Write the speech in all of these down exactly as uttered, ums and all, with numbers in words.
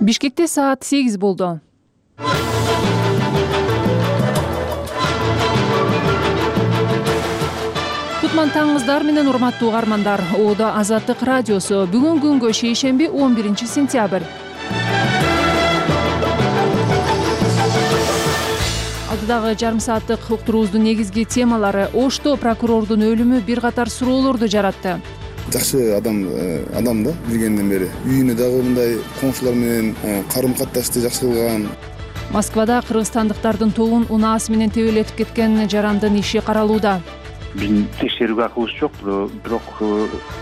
Бишкекте саат сегиз болду. Кутман таңыңыздар менен урматтуу угармандар. Оодо Азаттык радиосу. Бүгүн күнгө шейшемби он биринчи сентябрь. Алдыдагы жарым сааттык уктуруубуздун негизги темалары: Ошто прокурордун өлүмү бир катар суроолорду жаратты. Жакшы адам адам да билгенден бери үйүнө дагы мындай коңшулар менен карым катташты жакшы кылган. Москвада кыргызстандыктардын тобун унаасы менен тебелетип кеткен жарандын иши каралууда. Биздин текшерүүгө акыбыз жок, бирок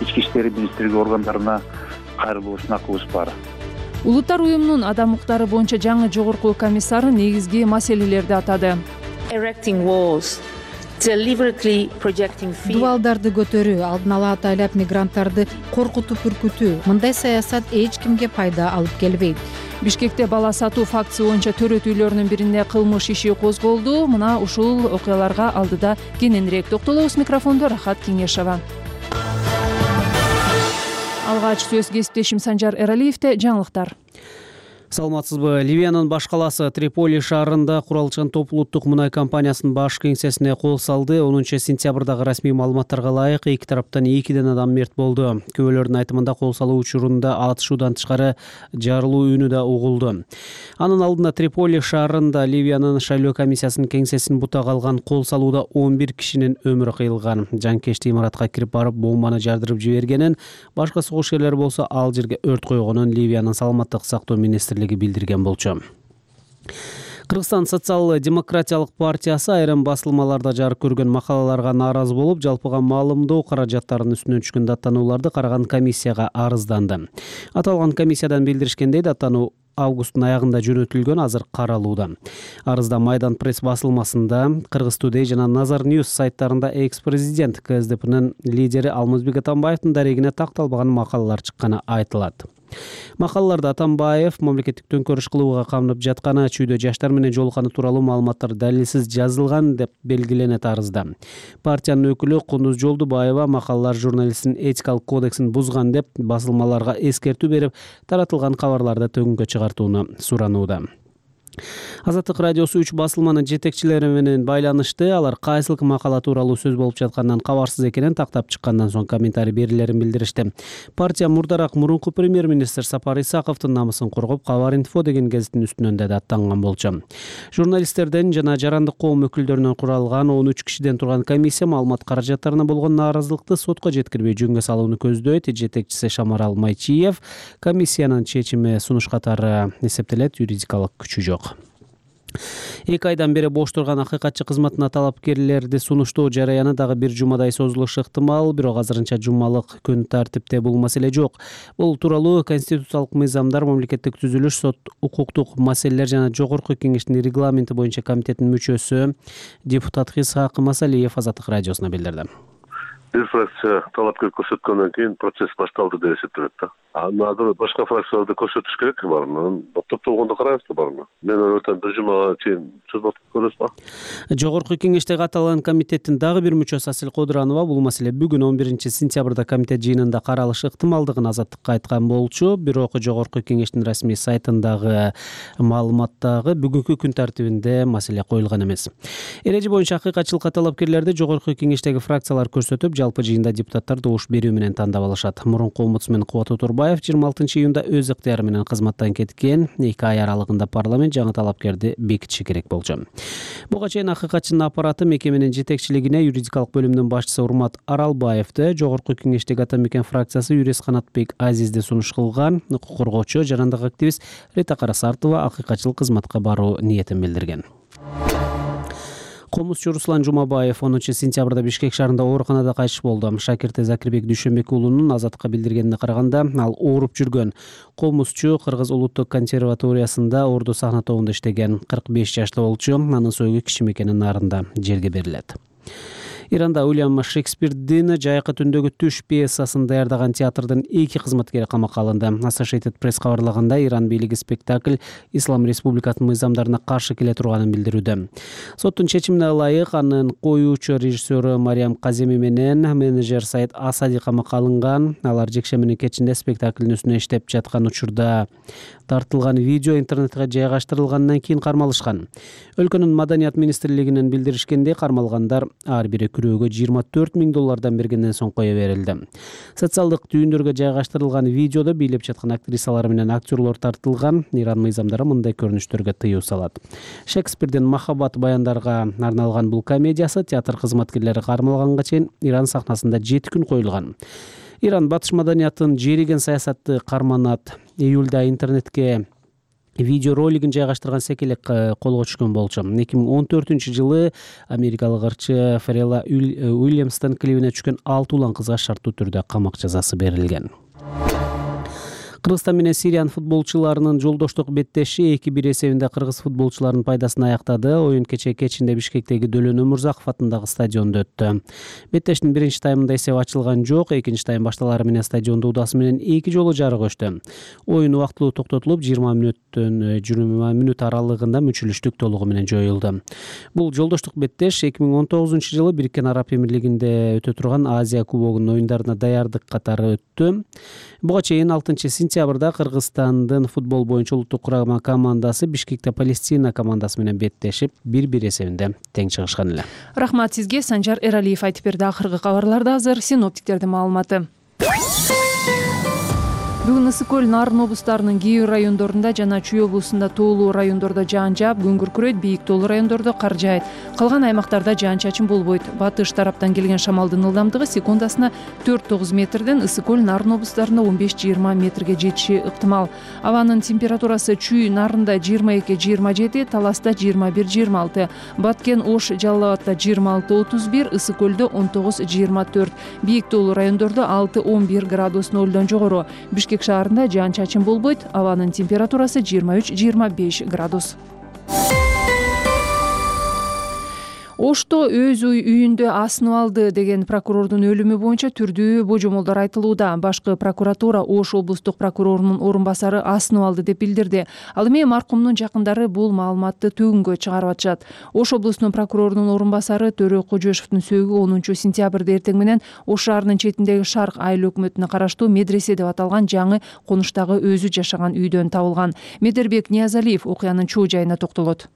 ички иштер министрлиги органдарына кайрылуусун акыбыз бар. Улуттар уюмунун адам укуктары боюнча жаңы жогорку комиссары негизги маселелерди атады. Дубалдарды көтөрүү, алдын ала атайлап мигранттарды коркутуп үркүтүү, мындай саясат эч кимге пайда алып келбейт. Бишкекте бала сатуу фактысы боюнча төрөт үйлөрүнүн биринде кылмыш иши козголду. Мына ушул окуяларга алдыда кененирээк токтолобуз. Микрофондо Рахат Кеңешова. Алгач сөз кесиптешим Санжар Эралиевде жаңылыктар. Саламатсызбы? Ливиянын баш калаасы Триполи шаарында куралчан топ улуттук мунай компаниясынын баш кеңсесине кол салды. онунчу сентябрдагы расмий маалыматтарга ылайык эки тараптан экиден адам мерт болду. Күбөлөрдүн айтымында кол салуу учурунда атышуудан тышкары жарылуу үнү да угулду. Анын алдында Триполи шаарында Ливиянын шайлоо комиссиясынын кеңсесин бутага алган кол салууда он бир кишинин өмүрү кыйылган. Жанкечти имаратка кирип барып бомбаны жардырып жибергенин, башка согушкерлер болсо ал жерге өрт койгонун Ливиянын саламаттык сактоо министри билдирген болчу. Кыргызстан социал-демократиялык партиясы айрым басылмаларда жарык көргөн макалаларга нааразы болуп, жалпыга маалымдоо каражаттарынын үстүнөн түшкөн даттанууларды караган комиссияга арызданды. Аталган комиссиядан билдиришкендей, даттануу августтун аягында жөнөтүлгөн, азыр каралууда. Арызда Майдан пресс басылмасында, Кыргыз Today жана Nazar News сайттарында экс-президент КСДПнын лидери Алмазбек Атамбаевдин дарегине такталбаган макалалар чыкканы айтылат. Макалаларда Атамбаев мамлекеттик төңкөрүш кылууга камынып жатканы, чүйдө жаштар менен жолукканы тууралуу маалыматтар далилсиз жазылган деп белгиленет арызда. Партиянын өкүлү Кундуз Жолдубаева макалалар журналисттин этикалык кодексин бузган деп басылмаларга эскертүү берип, таратылган кабарларды төгүнгө чыгартууну суранууда. Азаттык радиосу үч басылманын жетекчилери менен байланышты. Алар кайсыл макала тууралуу сөз болуп жатканынан кабарсыз экенин тактап чыккандан соң комментарий берилерин билдиришти. Партия мурдараак мурунку премьер-министр Сапар Исаковдун намысын коргоп, Кабар инфо деген гезиттин үстүнөн да аттанган болчу. Журналисттерден жана жарандык коом өкүлдөрүнөн куралган он үч кишиден турган комиссия маалымат каражаттарына болгон нааразылыкты сотко жеткирбей жөнгө салууну көздөйт. Жетекчиси Шамарал Майчиев комиссиянын чечими сунуш катары эсептелет, юридикалык күчү жок. Эки айдан бери бош турган акыйкатчы кызматына талапкерлерди сунуштоо жараяны дагы бир жумадай созулушу ыктымал, бирок азырынча жумалык күн тартипте бул маселе жок. Бул тууралуу конституциялык мыйзамдар, мамлекеттик түзүлүш, сот, укуктук маселелер жана жогорку кеңештин регламенти боюнча комитетинин мүчөсү депутат Исхак Масалиев Азаттык радиосуна билдирди. Бир фракция талапкер көрсөткөндөн кийин процесс башталды деп эсептелет да. Анан башка фракцияларды көрсөтүш керек бармы? Топтолгондо карайбызбы бармы? Мен ойлойт бир жумага чейин созулуп көрөсүзбү? Жогорку кеңештеги аталган комитеттин дагы бир мүчөсү Асил Кодуранова бул маселе бүгүн он биринчи сентябрда комитет жыйынында каралышы ыктымалдыгын Азаттыкка айткан болчу. Бирок жогорку кеңештин расмий сайтындагы маалыматтагы бүгүнкү күн тартибинде маселе коюлган эмес. Эреже боюнча акыйкатчылыкка талапкерлерди жогорку кеңештеги фракциялар көрсөтүп, жалпы жыйында депутаттар добуш берүү менен тандап алышат. Мурунку омбудсмен Кубат Турбаев жыйырма алтынчы июнда өз ыктыяры менен кызматтан кеткен. эки ай аралыгында парламент жаңы талапкерди бекитиши керек болчу. Буга чейин акыйкатчынын аппараты мекеменин жетекчилигине юридикалык бөлүмүнүн башчысы Урмат Аралбаевди, жогорку кеңештеги Атамекен фракциясы юрист Канатбек Азизди сунуш кылган. Укук коргоочу, жарандык активист Рита Карасартова акыйкатчылык кызматка баруу ниетин билдирген. Комузчу Руслан Жумабаев онунчу сентябрда Бишкек шаарында ооруканада кайтыш болду. Шакирте Закирбек Дүйшөнбек уулунун Азаттыкка билдиргенине караганда, ал ооруп жүргөн. Комузчу Кыргыз улуттук консерваториясында орду сахна тобунда иштеген. кырк беш жаштуу болчу. Анын союгу кичи мекенин нарында жерге берилет. Иранда Уильям Шекспирдин Жайкы түндөгү түш пьесасын даярдаган театрдын эки кызматкери камакка алынды. Associated Press кабарлаганда, Иран бийлиги спектакль Ислам Республикасынын мыйзамдарына каршы келе турганын билдирүүдө. Соттун чечимине ылайык анын коюучу режиссеру Мариям Каземи менен менеджер Сайт Асади камакка алынган. Алар жекшембинин кечинде спектаклдин үстүнө иштеп жаткан учурда тартылган видео интернетке жайгаштырылгандан кийин кармалышкан. Өлкөнүн Маданият министрлигинен билдиришкендей, кармалгандар ар бири күрөөгө жыйырма төрт миң доллардан бергенден соң кое берилди. Социалдык түйүндөргө жайгаштырылган видеодо бийлеп жаткан актрисалар менен актерлор тартылган. Иран мыйзамдары мындай көрүнүштөргө тыюу салат. Шекспирдин махаббат баяндарга арналган бул комедиясы театр кызматкерлери кармалганга чейин Иран сахнасында жети күн коюлган. Иран батыш маданиятын жериген саясатты карманат. Июлда интернетке видео ролигин жайгаштырган секелек колго түшкөн болчу. эки миң он төртүнчү жылы америкалык ырчы Фарелла Уильямстын клибине түшкөн алты улан кызга шарттуу түрдө камак жазасы берилген. Кыргызстан менен Сириянын футболчуларынын жолдоштук беттеши эки бир эсебинде кыргыз футболчуларынын пайдасына аяктады. Оюн кечээ кечинде Бишкектеги Дөлөн Өмүрзаков атындагы стадиондо өттү. Беттештин биринчи таймында эсеп ачылган жок. Экинчи тайм башталары менен стадиондо удасы менен эки жолу жарык өчтү. Оюн убактылуу токтотулуп, жыйырма мүнөттөн жыйырма мүнөт аралыгында мүчүлүштүк толугу менен жоюлду. Бул жолдоштук беттеш эки миң он тогузунчу жылы Бириккен Араб Эмирлигинде өтө турган Азия кубогунун оюндарына даярдык катары өттү. Буга чейин алтынчы сентябрда Кыргызстандын футбол боюнча улуттук курама командасы Бишкекте Палестина командасы менен беттешип, бир бир эсебинде тең чыгышкан эле. Рахмат сизге. Санжар Эралиев айтып берди. Акыркы кабарларда азыр синоптиктердин маалыматы. Бүгүн Ысык көл, Нарын облустарынын кээ бир райондорунда жана Чүй облусунда тоолуу райондордо жаан жаап, күн күркүрөйт, бийик тоолуу райондордо кар жаайт. Калган аймактарда жаан-чачын болбойт. Батыш тараптан келген шамалдын ылдамдыгы секундасына төрт тогуз метрден Ысык көл, Нарын облустарында он беш жыйырма метрге жетиши ыктымал. Абанын температурасы Чүй, Нарында жыйырма эки жыйырма жети, Таласта жыйырма бир жыйырма алты, Баткен, Ош, Жалал Абадта жыйырма алты отуз бир, Ысык көлдө он тогуз жыйырма төрт, бийик тоолуу райондордо алты он бир градус нолдон жогору. Бишкек шаарында жаан-чачын болбойт. Абанын температурасы жыйырма үч жыйырма беш градус. Ошто өз үйүндө асынып алды деген прокурордун өлүмү боюнча түрдүү божомолдор айтылууда. Башкы прокуратура Ош облустук прокурорунун орун басары асынып алды деп билдирди. Ал эми маркумдун жакындары бул маалыматты төгүнгө чыгарып атышат. Ош облусунун прокурорунун орун басары Төрө Кожошевдун сөөгү онунчу сентябрда эртең менен Ош шаарынын четиндеги Шарк айыл өкмөтүнө караштуу медресе деп аталган жаңы конуштагы өзү жашаган үйдөн табылган. Медербек Ниязалиев окуянын чоо жайына токтолот.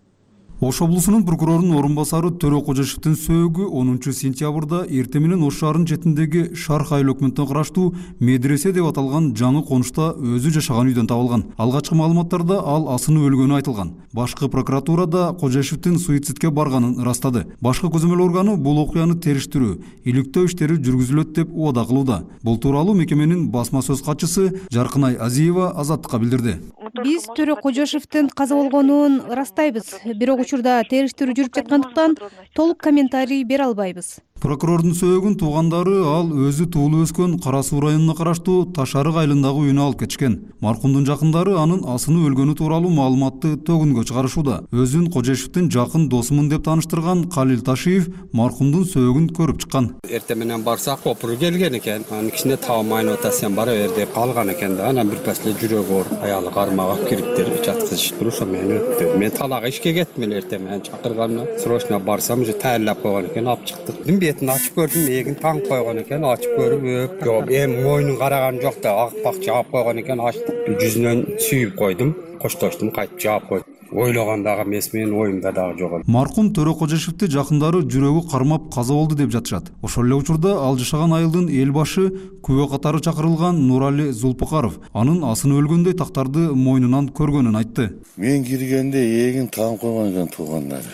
Ош облусунун прокурорунун орун басары Төрө Кожошевдин сөөгү онунчу сентябрда эртең менен Ош шаарынын четиндеги Шарк айыл өкмөтүнө караштуу медресе деп аталган жаңы конушта өзү жашаган үйдөн табылган. Алгачкы маалыматтарда ал асынып өлгөнү айтылган. Башкы прокуратурада Кожошевдин суицидке барганын ырастады. Башкы көзөмөл органы бул окуяны териштирүү, иликтөө иштери жүргүзүлөт деп убада кылууда. Бул тууралуу мекеменин басма сөз катчысы Жаркынай Азиева Азаттыкка билдирди. Биз Төрө Кожошевдин каза болгонун ырастайбыз, бирок учурда териштирүү жүрүп жаткандыктан толук комментарий бере албайбыз. Прокурордун сөөгүн туугандары ал өзү туулуп өскөн Кара Суу районуна караштуу Ташарык айылындагы үйүнө алып кетишкен. Маркумдун жакындары анын асынып өлгөнү тууралуу маалыматты төгүнгө чыгарышууда. Өзүн Кожошевдин жакын досумун деп тааныштырган Калил Ташиев маркумдун сөөгүн көрүп чыккан. Эртең менен барсак копуру келген экен. Анын кичине таамайын ота сен бара бер деп калган экен да. Анан бир пасле жүрөгү оор, аялы кармагап кириптер жаткызышып туруп, мен өттүм. Мен талага ишке кеттим эле эртең менен чакырганына. Срочно барсам, уже таярлап койгон экен, алып чыктык. Бетин ачып көрдүм, эгин таңып койгон экен, ачып көрүп, жок, эми мойнун караган жок да, акпак жаап койгон экен, ачтым. Жүзүнөн сүйүп койдум, коштоштум, кайтып жаап койдум. Ойлогондагы эмес, менин оюмда дагы жок. Маркум Төрө Кожошевди жакындары жүрөгү кармап каза болду деп жатышат. Ошол эле учурда ал жашаган айылдын эл башы күбө катары чакырылган Нурали Зулпукаров анын асынып өлгөндөй тактарды мойнунан көргөнүн айтты. Мен киргенде эгин таанып койгон экен туугандары.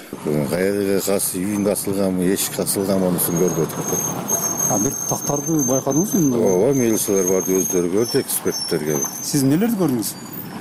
Кайерге касы үйүндө асылганбы, эшикке асылганбы анусын көрбөдүк. А бир тактарды байкадыңызбы? Ооба, милициялар барды, өздөрү көрдү, эксперттер келип. Сиз эмнелерди көрдүңүз?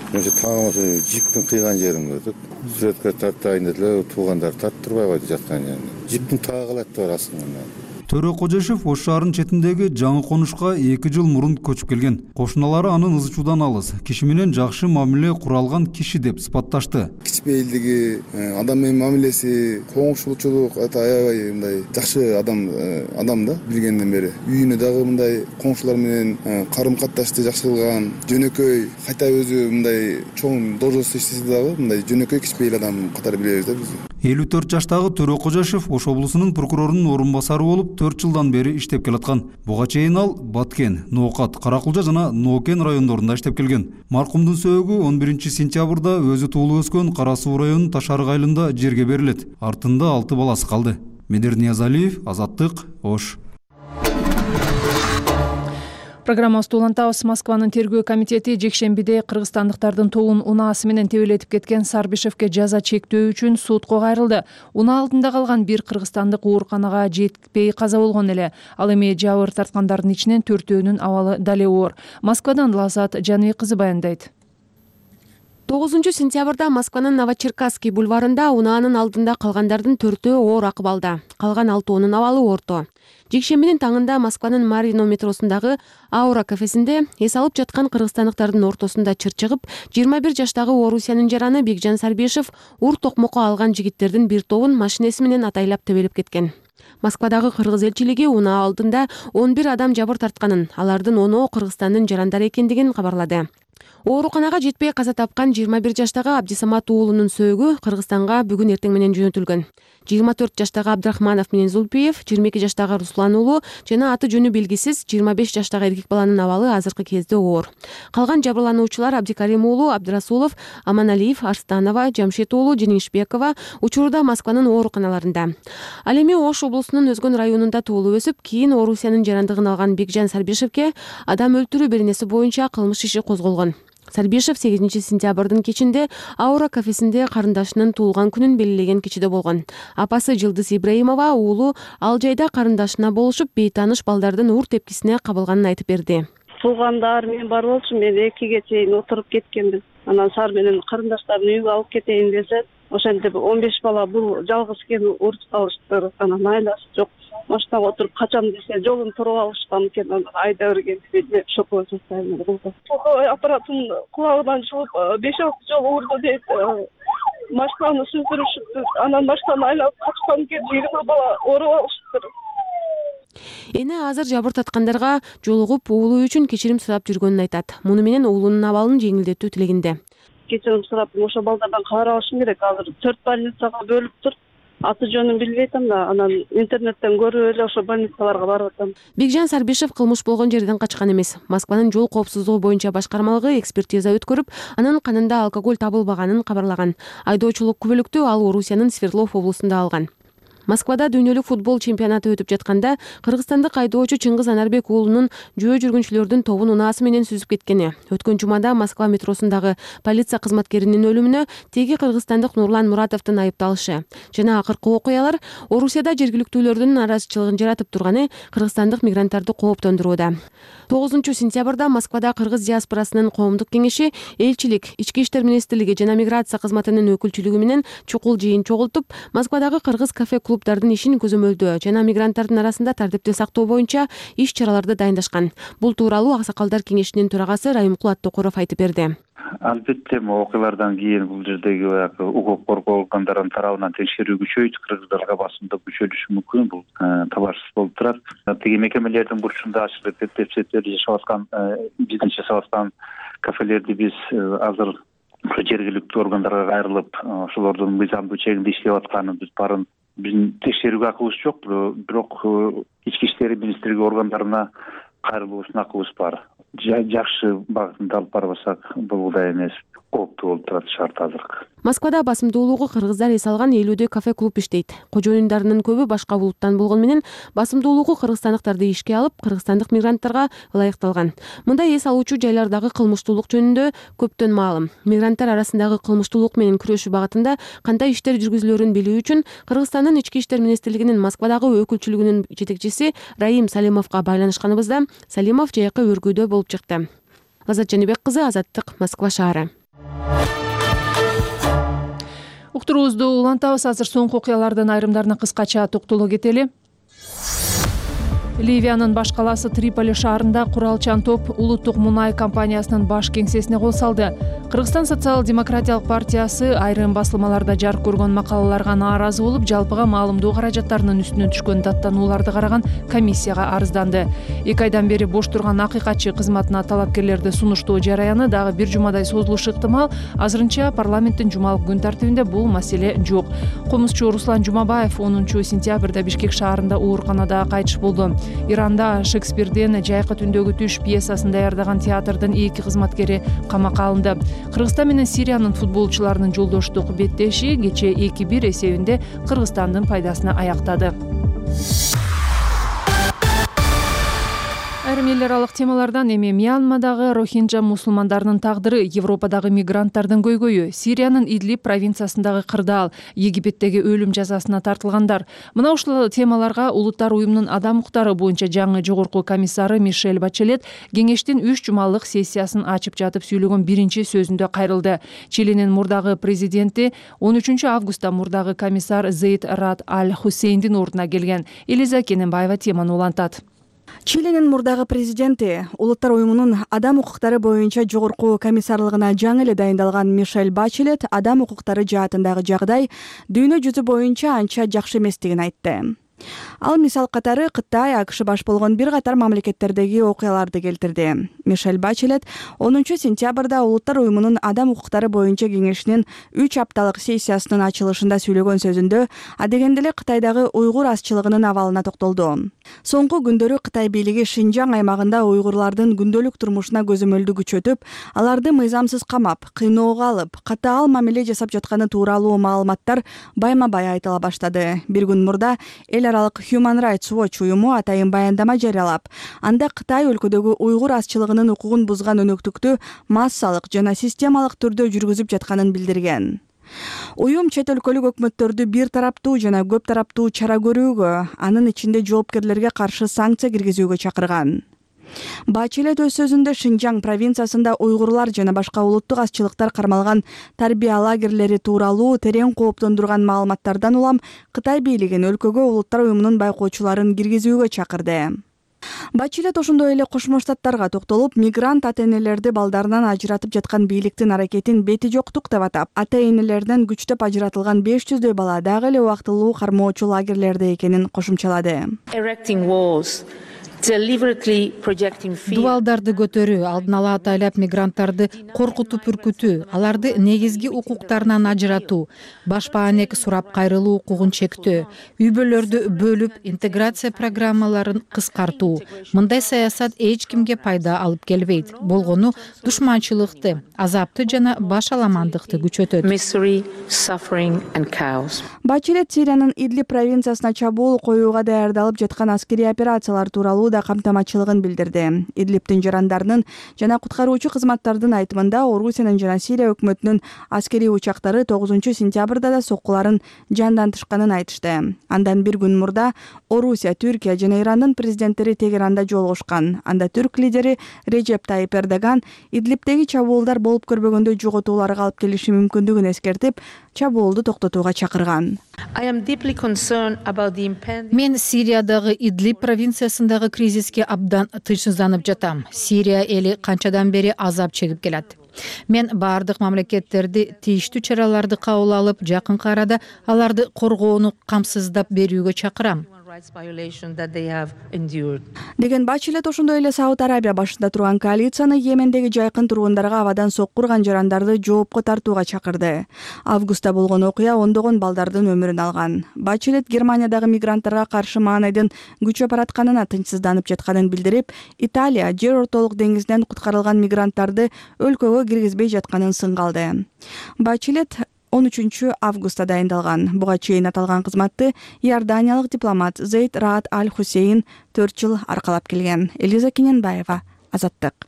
Мен тааңымаса жиптин кыйган жерин көрдүк. Сүрөткө тартайын дедилер, туугандар тарттырбай койду жаткан жерин. Жиптин таагылат бар асынган. Төрө Кожошев Ош шаарынын четиндеги жаңы конушка эки жыл мурун көчүп келген. Кошуналары анын ызы чуудан алыс, киши менен жакшы мамиле кура алган киши деп сыпатташты. Кичпейилдиги, адам менен мамилеси, коңшулчулук, аябай мындай жакшы адам адам да билгенден бери. Үйүнө дагы мындай коңшулар менен карым-катташты жакшы кылган, жөнөкөй, кайта өзү мындай чоң должностто иштесе дагы мындай жөнөкөй кичпейил адам катары билебиз да биз. элүү төрт жаштагы Төрө Кожошев Ош облусунун прокурорунун орун басары болуп, төрт жылдан бери иштеп келаткан. Буга чейин ал Баткен, Ноокат, Каракулжа жана Ноокен райондорунда иштеп келген. Маркумдун сөөгү он биринчи сентябрда өзү туулуп өскөн Кара Суу районунун Ташарык айылында жерге берилет. Артында алты баласы калды. Медер Ниязалиев, Азаттык, Ош. Программабызды улантабыз. Москванын тергөө комитети жекшембиде кыргызстандыктардын тобун унаасы менен тебелетип кеткен Сарбишевке жаза чектөө үчүн сотко кайрылды. Унаа алдында калган бир кыргызстандык ооруканага жетпей каза болгон эле. Ал эми жабыр тарткандардын ичинен төртөөнүн абалы дале оор. Москвадан Лазат Жаныбек кызы баяндайт. тогузунчу сентябрда Москванын Новочеркасский бульварында унаанын алдында калгандардын төртөө оор акыбалда, калган алтоонун абалы орто. Жекшембинин таңында Москванын Марино метросундагы Аура кафесинде эс алып жаткан кыргызстандыктардын ортосунда чыр чыгып, жыйырма бир жаштагы Орусиянын жараны Бекжан Сарбишев ур токмокко алган жигиттердин бир тобун машинеси менен атайлап тебелеп кеткен. Москвадагы кыргыз элчилиги унаа алдында он бир адам жабыр тартканын, алардын оноо Кыргызстандын жарандары экендигин кабарлады. Ооруканага жетпей каза тапкан жыйырма бир жаштагы Абдисамат уулунун сөөгү Кыргызстанга бүгүн эртең менен жөнөтүлгөн. жыйырма төрт жаштагы Абдрахманов менен Зулпиев, жыйырма эки жаштагы Руслан уулу жана аты жөнү белгисиз жыйырма беш жаштагы эркек баланын абалы азыркы кезде оор. Калган жабырлануучулар Абдикарим уулу, Абдрасулов, Аманалиев, Арстанова, Жамшит уулу, Женишбекова учурда Москванын ооруканаларында. Ал эми Ош облусунун Өзгөн районунда туулуп өсүп, кийин Орусиянын жарандыгын алган Бекжан Сарбишевке адам өлтүрүү беренеси боюнча кылмыш иши козголгон. Сарбишев сегизинчи сентябрдын кечинде Аура кафесинде карындашынын туулган күнүн белгилеген кечиде болгон. Апасы Жылдыз Ибраимова уулу ал жайда карындашына болушуп, бейтааныш балдардын ур тепкисине кабылганын айтып берди. Туулгандар мен бар болчу, мен экиге чейин отуруп кеткенбиз. Анан Сар менен карындаштарын үйгө алып кетейин десе, ошентип он беш бала бул жалгыз экенин уруп калыштыр. Анан айласы жок. Машинага отуруп качам десе, жолун туруп алышкан экен, анан айда бергенди шокол жасайм болду. Аппаратын кулагынан чыгып беш алты жолу урду дейт. Машинаны сүздүрүшүптү. Анан машинаны айлап качкан экен, жыйырма бала ооруп алыштыр. Эне азыр жабыр таткандарга жолугуп уулу үчүн кечирим сурап жүргөнүн айтат. Муну менен уулунун абалын жеңилдетүү тилегинде. Кечирим сурап, ошо балдардан кабар алышым керек. Азыр төрт больницага бөлүп тур. Аты жөнүн билбей атам да, анан интернеттен көрүп эле ошо больницаларга барып атам. Бекжан Сарбишев кылмыш болгон жерден качкан эмес. Москванын жол коопсуздугу боюнча башкармалыгы экспертиза өткөрүп, анын канында алкоголь табылбаганын кабарлаган. Айдоочулук күбөлүктү ал Орусиянын Свердлов облусунда алган. Москвада дүйнөлүк футбол чемпионаты өтүп жатканда кыргызстандык айдоочу Чыңгыз Анарбек уулунун жөө жүргүнчүлөрдүн тобун унаасы менен сүзүп кеткени. Өткөн жумада Москва метросундагы полиция кызматкеринин өлүмүнө теги кыргызстандык Нурлан Муратовдун айыпталышы жана акыркы окуялар Орусияда жергиликтүүлөрдүн нараазычылыгын жаратып турганы кыргызстандык мигранттарды кооптондурууда. тогузунчу сентябрда Москвада кыргыз диаспорасынын коомдук кеңеши, элчилик, ички иштер министрлиги жана миграция кызматынын өкүлчүлүгү менен чукул жыйын чогултуп, Москвадагы кыргыз кафе клубдардын ишин көзөмөлдөө жана мигранттардын арасында тартипти сактоо боюнча иш чараларды дайындашкан. Бул тууралуу Аксакалдар кеңешинин төрагасы Райымкул Аттокуров айтып берди. Албетте, окуялардан кийин бул жердеги баягы укук коргоо органдарынын тарабынан текшерүү күчөйт, кыргыздарга басымдык күчөлүшү мүмкүн, бул табарсыз болуп турат. Тиги мекемелердин бурчунда ачык депсеттерди жашап аткан, биздин жашап аткан кафелерди биз азыр жергиликтүү органдарга кайрылып, ошолордун мыйзамдуу чегинде иштеп атканын биз баарын биздин текшерүүгө акыбыз жок, бирок ички иштер министрлиги органдарына кайрылуубуздун акыбыз бар. Жакшы багытында алып барбасак, бул да эмес, кооптуу болуп турат шарт азыркы. Москвада басымдуулугу кыргыздар эс алган элүүдөй кафе-клуб иштейт. Кожоюндарынын көбү башка булуттан болгону менен басымдуулугу кыргызстандыктарды ишке алып, кыргызстандык мигранттарга ылайыкталган. Мындай эс алуучу жайлардагы кылмыштуулук жөнүндө көптөн маалым. Мигранттар арасындагы кылмыштуулук менен күрөшүү багытында кандай иштер жүргүзүлөрүн билүү үчүн Кыргызстандын ички иштер министрлигинин Москвадагы өкүлчүлүгүнүн жетекчиси Раим Салимовго байланышканыбызда Салимов жайкы өргүүдө болуп чыкты. Лазат Жаныбек кызы, Азаттык, Москва шаары. Уктуруубузду улантабыз. Азыр соңку окуялардын айрымдарына кыскача токтоло кетели. Ливиянын баш калаасы Триполи шаарында куралчан топ улуттук мунай компаниясынын баш кеңсесине кол салды. Кыргызстан социал-демократиялык партиясы айрым басылмаларда жарык көргөн макалаларга нааразы болуп, жалпыга маалымдоо каражаттарынын үстүнөн түшкөн даттанууларды караган комиссияга арызданды. Эки айдан бери бош турган акыйкатчы кызматына талапкерлерди сунуштоо жараяны дагы бир жумадай созулушу ыктымал. Азырынча парламенттин жумалык күн тартибинде бул маселе жок. Комузчу Руслан Жумабаев онунчу сентябрда Бишкек шаарында ооруканада кайтыш болду. Иранда Шекспирден Жайкы түндөгү түш пьесасын даярдаган театрдын эки кызматкери камакка алынды. Кыргызстан менен Сириянын футболчуларынын жолдоштук беттеши кечээ эки бир эсебинде Кыргызстандын пайдасына аяктады. Айрым эл аралык темалардан эми Мьянмадагы рохинджа мусулмандарынын тагдыры, Европадагы мигранттардын көйгөйү, Сириянын Идлиб провинциясындагы кырдаал, Египеттеги өлүм жазасына тартылгандар. Мына ушул темаларга Улуттар уюмунун адам укуктары боюнча жаңы жогорку комиссары Мишель Бачелет кеңештин үч жумалык сессиясын ачып жатып сүйлөгөн биринчи сөзүндө кайрылды. Чилинин мурдагы президенти он үчүнчү августта мурдагы комиссар Зейд Раад Аль Хусейндин ордуна келген. Элиза Кененбаева теманы улантат. Чилинин мурдагы президенти Улуттар уюмунун адам укуктары боюнча жогорку комиссарлыгына жаңы эле дайындалган Мишель Бачелет адам укуктары жаатындагы жагдай дүйнө жүзү боюнча анча жакшы эместигин айтты. Ал мисал катары Кытай, АКШ баш болгон бир катар мамлекеттердеги окуяларды келтирди. Мишель Бачелет онунчу сентябрда Улуттар уюмунун адам укуктары боюнча кеңешинин үч апталык сессиясынын ачылышында сүйлөгөн сөзүндө адегенде эле Кытайдагы уйгур азчылыгынын абалына токтолду. Соңку күндөрү Кытай бийлиги Шинжаң аймагында уйгурлардын күндөлүк турмушуна көзөмөлдү күчөтүп, аларды мыйзамсыз камап, кыйноого алып, катаал мамиле жасап жатканы тууралуу маалыматтар байма-бай айтыла баштады. Бир күн мурда эл аралык Human Rights Watch уюму атайын баяндама жарыялап, анда Кытай өлкөдөгү уйгур азчылыгынын укугун бузган өнөктүктү массалык жана системалык түрдө жүргүзүп жатканын билдирген. Уюм чет өлкөлүк өкмөттөрдү бир тараптуу жана көп тараптуу чара көрүүгө, анын ичинде жоопкерлерге каршы санкция киргизүүгө чакырган. Бачелет өз сөзүндө Шинжаң провинциясында уйгурлар жана башка улуттук азчылыктар кармалган тарбия лагерлери тууралуу терең кооптондурган маалыматтардан улам Кытай бийлигин өлкөгө Улуттар уюмунун байкоочуларын киргизүүгө чакырды. Бачелет ошондой эле Кошмо Штаттарга токтолуп, мигрант ата-энелерди балдарынан ажыратып жаткан бийликтин аракетин бети жоктук деп атап, ата-энелеринен күчтөп ажыратылган беш жүздөй бала дагы эле убактылуу кармоочу лагерлерде экенин кошумчалады. Дубалдарды көтөрүү, алдын ала атайлап мигранттарды коркутуп үркүтүү, аларды негизги укуктарынан ажыратуу, башпаанек сурап кайрылуу укугун чектөө, үй-бүлөлөрдү бөлүп, интеграция программаларын кыскартуу. Мындай саясат эч кимге пайда алып келбейт. Болгону душманчылыкты, азапты жана баш аламандыкты күчөтөт. Бачелет Сириянын Идлиб провинциясына чабуул коюуга даярдалып жаткан аскерий операциялар тууралуу да камтамачылыгын билдирди. Идлибтин жарандарынын жана куткаруучу кызматтардын айтымында Орусиянын жана Сирия өкмөтүнүн аскерий учактары тогузунчу сентябрда да соккуларын жандантышканын айтышты. Андан бир күн мурда Орусия, Түркия жана Ирандын президенттери Тегеранда жолугушкан. Анда түрк лидери Режеп Тайип Эрдоган Идлибтеги чабуулдар болуп көрбөгөндөй жоготууларга алып келиши мүмкүндүгүн эскертип, чабуулду токтотууга чакырган. Мен Сириядагы Идлиб провинциясындагы кризиске абдан тынчсызданып жатам. Сирия эли канчадан бери азап чегип келет. Мен бардык мамлекеттерди тийиштүү чараларды кабыл алып, жакынкы арада аларды коргоону камсыздап берүүгө чакырам. Деген Бачелет ошондой эле Сауд Арабия башында турган коалицияны Йемендеги жайкын тургундарга абадан сокку урган жарандарды жоопко тартууга чакырды. Августта болгон окуя ондогон балдардын өмүрүн алган. Бачелет Германиядагы мигранттарга каршы маанайдын күчөп баратканына тынчсызданып жатканын билдирип, Италия жер ортолук деңизинен куткарылган мигранттарды өлкөгө киргизбей жатканын сынга алды. Бачелет он үчүнчү августта дайындалган. Буга чейин аталган кызматты иорданиялык дипломат Зейд Раад Аль Хусейн төрт жыл аркалап келген. Элиза Кененбаева, Азаттык.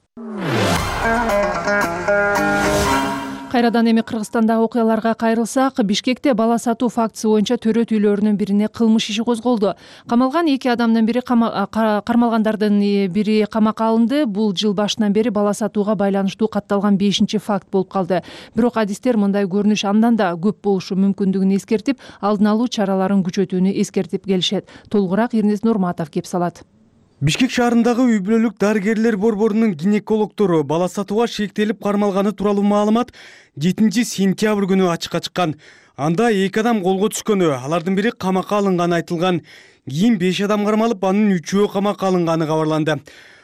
Кайрадан эми Кыргызстандагы окуяларга кайрылсак, Бишкекте бала сатуу фактысы боюнча төрөт үйлөрүнүн бирине кылмыш иши козголду. Камалган эки адамдын бири кармалгандардын бири камакка алынды. Бул жыл башынан бери бала сатууга байланыштуу катталган бешинчи факт болуп калды. Бирок адистер мындай көрүнүш андан да көп болушу мүмкүндүгүн эскертип, алдын алуу чараларын күчөтүүнү эскертип келишет. Толугураак Эрнест Нурматов кеп салат. Бишкек шаарындагы үй бүлөлүк дарыгерлер борборунун гинекологдору бала сатууга шектелип кармалганы тууралуу маалымат жетинчи сентябрь күнү ачыкка чыккан. Анда эки адам колго түшкөнү, алардын бири камакка алынганы айтылган. Кийин беш адам кармалып, анын үчөө камакка алынганы кабарланды.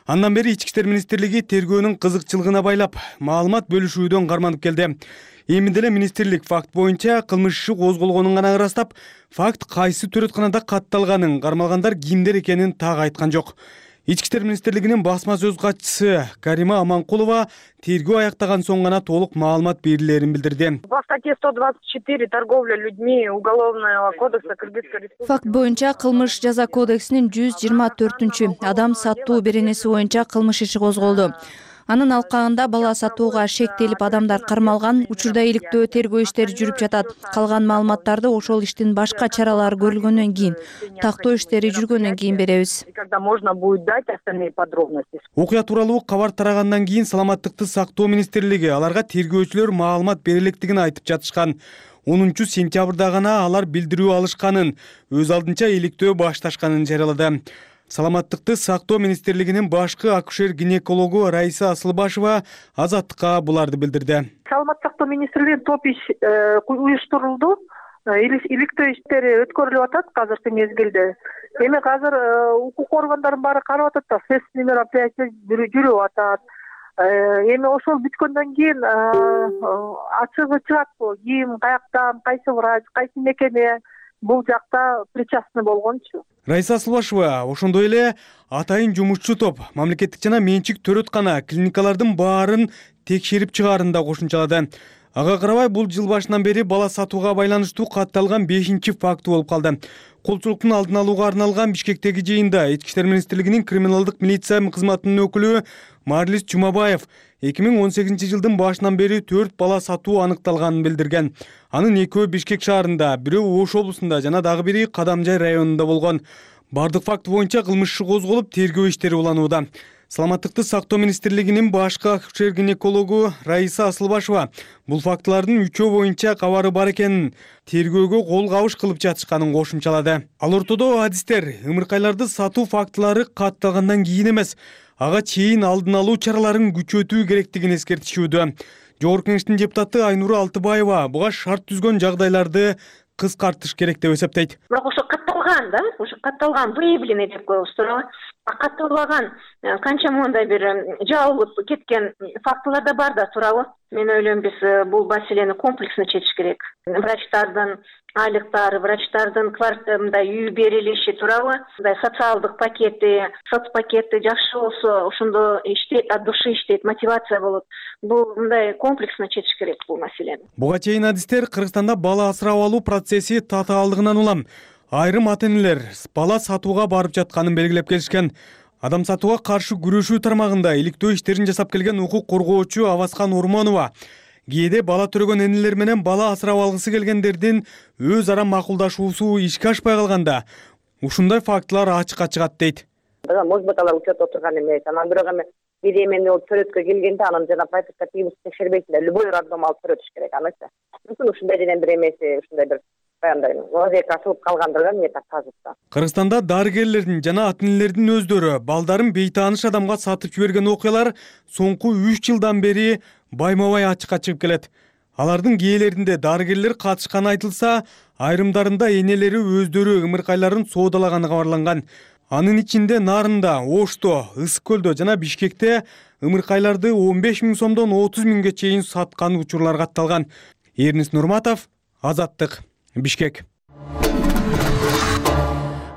Андан бери Ички иштер министрлиги тергөөнүн кызыкчылыгына байлап, маалымат бөлүшүүдөн карманып келди. Эми деле министрлик факт боюнча кылмыш иши козголгонун гана ырастап, факт кайсы төрөтканада катталганын, кармалгандар кимдер экенин так айткан жок. Ички иштер министрлигинин басма сөз катчысы Карима Аманкулова тергөө аяктаган соң гана толук маалымат берилерин билдирди. По статье сто двадцать четыре торговля людьми Уголовного кодекса Кыргызской Республики. Факт боюнча кылмыш жаза кодексинин жүз жыйырма төртүнчү адам сатуу беренеси боюнча кылмыш иши козголду. Анын алкагында бала сатууга шектелип адамдар кармалган. Учурда иликтөө тергөө иштери жүрүп жатат. Калган маалыматтарды ошол иштин башка чаралары көрүлгөндөн кийин, тактоо иштери жүргөндөн кийин беребиз. Когда можно будет дать остальные подробности. Окуя тууралуу кабар тарагандан кийин Саламаттыкты сактоо министрлиги аларга тергөөчүлөр маалымат бере электигин айтып жатышкан. онунчу сентябрда гана алар билдирүү алышканын, өз алдынча иликтөө башташканын жарыялады. Саламаттыкты сактоо министрлигинин башкы акушер-гинекологу Раиса Асылбашева Азаттыкка буларды билдирди. Саламаттык сактоо министрлигинин топ иш уюштурулду. Иликтөө иштери өткөрүлүп атат азыркы мезгилде. Эми азыр укук органдарын баары карап атат да, следственный мероприятие жүрүп атат. Эми ошол бүткөндөн кийин ачыгы чыгат, ким, каяктан, кайсы врач, кайсы мекеме бул жакта причастный болгончу. Раиса Асылбашева ошондой эле атайын жумушчу топ мамлекеттик жана менчик төрөткана клиникалардын баарын текшерип чыгаарын да кошумчалады. Ага карабай бул жыл башынан бери бала сатууга байланыштуу катталган бешинчи факты болуп калды. Колчулуктун алдын алууга арналган Бишкектеги жыйында Ички иштер министрлигинин криминалдык милиция кызматынын өкүлү Марлис Чумабаев эки миң он сегизинчи жылдын башынан бери төрт бала сатуу аныкталганын билдирген. Анын экөө Бишкек шаарында, бирөө Ош облусунда жана дагы бири Кадамжай районунда болгон. Бардык факт боюнча кылмыш иши козголуп, тергөө иштери уланууда. Саламаттыкты сактоо министрлигинин башкы акушер-гинекологу Раиса Асылбашева бул фактылардын үчөө боюнча кабары бар экенин, тергөөгө кол кабыш кылып жатышканын кошумчалады. Ал ортодо адистер ымыркайларды сатуу фактылары катталгандан кийин эмес, ага чейин алдын алуу чараларын күчөтүү керектигин эскертишүүдө. Жогорку Кеңештин депутаты Айнура Алтыбаева буга шарт түзгөн жагдайларды кыскартыш керек деп эсептейт. Бирок ошо катталган да, ошо катталган, выявленный деп коебуз туурабы? Катталбаган канча мындай бир жабылып кеткен фактылар да бар да туурабы? Мен ойлойм, биз бул маселени комплексно чечиш керек. Врачтардын айлыктары, врачтардын квартирында үй берилиши туурабы? Мындай социалдык пакети, соцпакети жакшы болсо, ошондо иштейт, от души иштейт, мотивация болот. Бул мындай комплексно чечиш керек бул маселени. Буга чейин адистер Кыргызстанда бала асырап алуу процесси татаалдыгынан улам айрым ата-энелер бала сатууга барып жатканын белгилеп келишкен. Адам сатууга каршы күрөшүү тармагында иликтөө иштерин жасап келген укук коргоочу Аваскан Ормонова кээде бала төрөгөн энелер менен бала асырап алгысы келгендердин өз ара макулдашуусу ишке ашпай калганда ушундай фактылар ачыкка чыгат дейт. Может быть, алар учет отурган эмес. Анан бирок эми бир эмени төрөткө келгенде анан жана прописка текшербейсиң да, любой роддом алып төрөтүш керек анысы. Мүмкүн ушундай денен бир эмеси, ушундай бир вазият калгандырга эмне тазыкта. Кыргызстанда дарыгерлердин жана ата-энелердин өздөрү балдарын бейтааныш адамга сатып жиберген окуялар соңку үч жылдан бери байма-бай ачыкка чыгып келет. Алардын кээелеринде дарыгерлер катышканы айтылса, айрымдарында энелери өздөрү ымыркайларын соодалаганы кабарланган. Анын ичинде Нарында, Ошто, Ысык көлдө жана Бишкекте ымыркайларды он беш миң сомдон отуз миңге чейин саткан учурлар катталган. Эрнис Нурматов, Азаттык, Бишкек.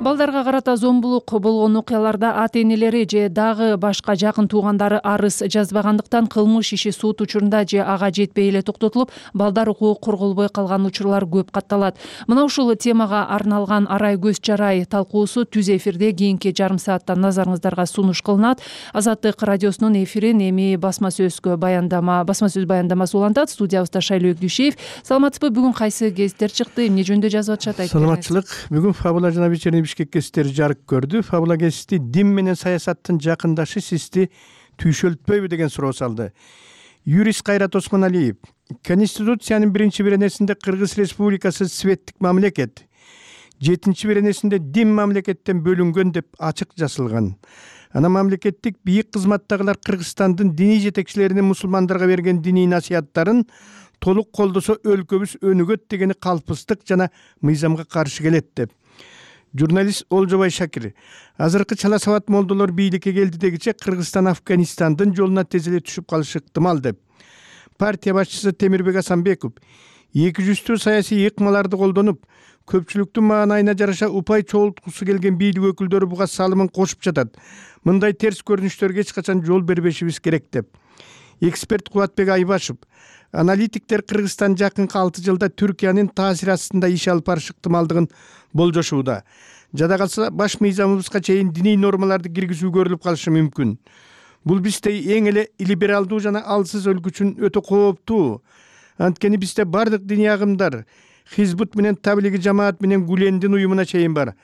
Балдарга карата зомбулук болгон окуяларда ата-энелери же дагы башка жакын туугандары арыз жазбагандыктан кылмыш иши сот учурунда же ага жетпей эле токтотулуп, балдар укугу корголбой калган учурлар көп катталат. Мына ушул темага арналган Арай көз чарай талкуусу түз эфирде кийинки жарым саатта назарыңыздарга сунуш кылынат. Азаттык радиосунун эфирин эми басма сөзгө баяндама, басма сөз баяндамасы улантат. Студиябызда Шайлоок Дүйшеев. Саламатсызбы? Бүгүн кайсы гезиттер чыкты? Эмне жөнүндө жазып атышат? Айтыңыз. Саламатчылык. Бүгүн Фабула жана Вечерний Бишкек гезиттери жарык көрдү. Фабула гезити дин менен саясаттын жакындашы сизди түйшөлтпөйбү деген суроо салды. Юрист Кайрат Осмоналиев: Конституциянын биринчи беренесинде Кыргыз Республикасы светтик мамлекет, жетинчи беренесинде дин мамлекеттен бөлүнгөн деп ачык жазылган. Ана мамлекеттик бийик кызматтагылар Кыргызстандын диний жетекчилеринин мусулмандарга берген диний насыяттарын толук колдосо өлкөбүз өнүгөт дегени калпыстык жана мыйзамга каршы келет деп. Журналист Олжобай Шакир азыркы чала сабат молдолор бийликке келди дегиче Кыргызстан Афганистандын жолуна тез эле түшүп калышы ыктымал деп. Партия башчысы Темирбек Асанбеков эки жүздүү саясий ыкмаларды колдонуп, көпчүлүктүн маанайына жараша упай чогулткусу келген бийлик өкүлдөрү буга салымын кошуп жатат. Мындай терс көрүнүштөргө эч качан жол бербешибиз керек деп. Эксперт Кубатбек Айбашев аналитиктер Кыргызстан жакынкы алты жылда Түркиянын таасири астында иш алып барышы ыктымалдыгын болжошууда. Жада калса баш мыйзамыбызга чейин диний нормаларды киргизүү көрүлүп калышы мүмкүн. Бул бизде эң эле либералдуу жана алсыз өлкө үчүн өтө кооптуу. Анткени бизде бардык диний агымдар Хизбут менен Таблиги жамаат менен Гулендин уюмуна чейин бар.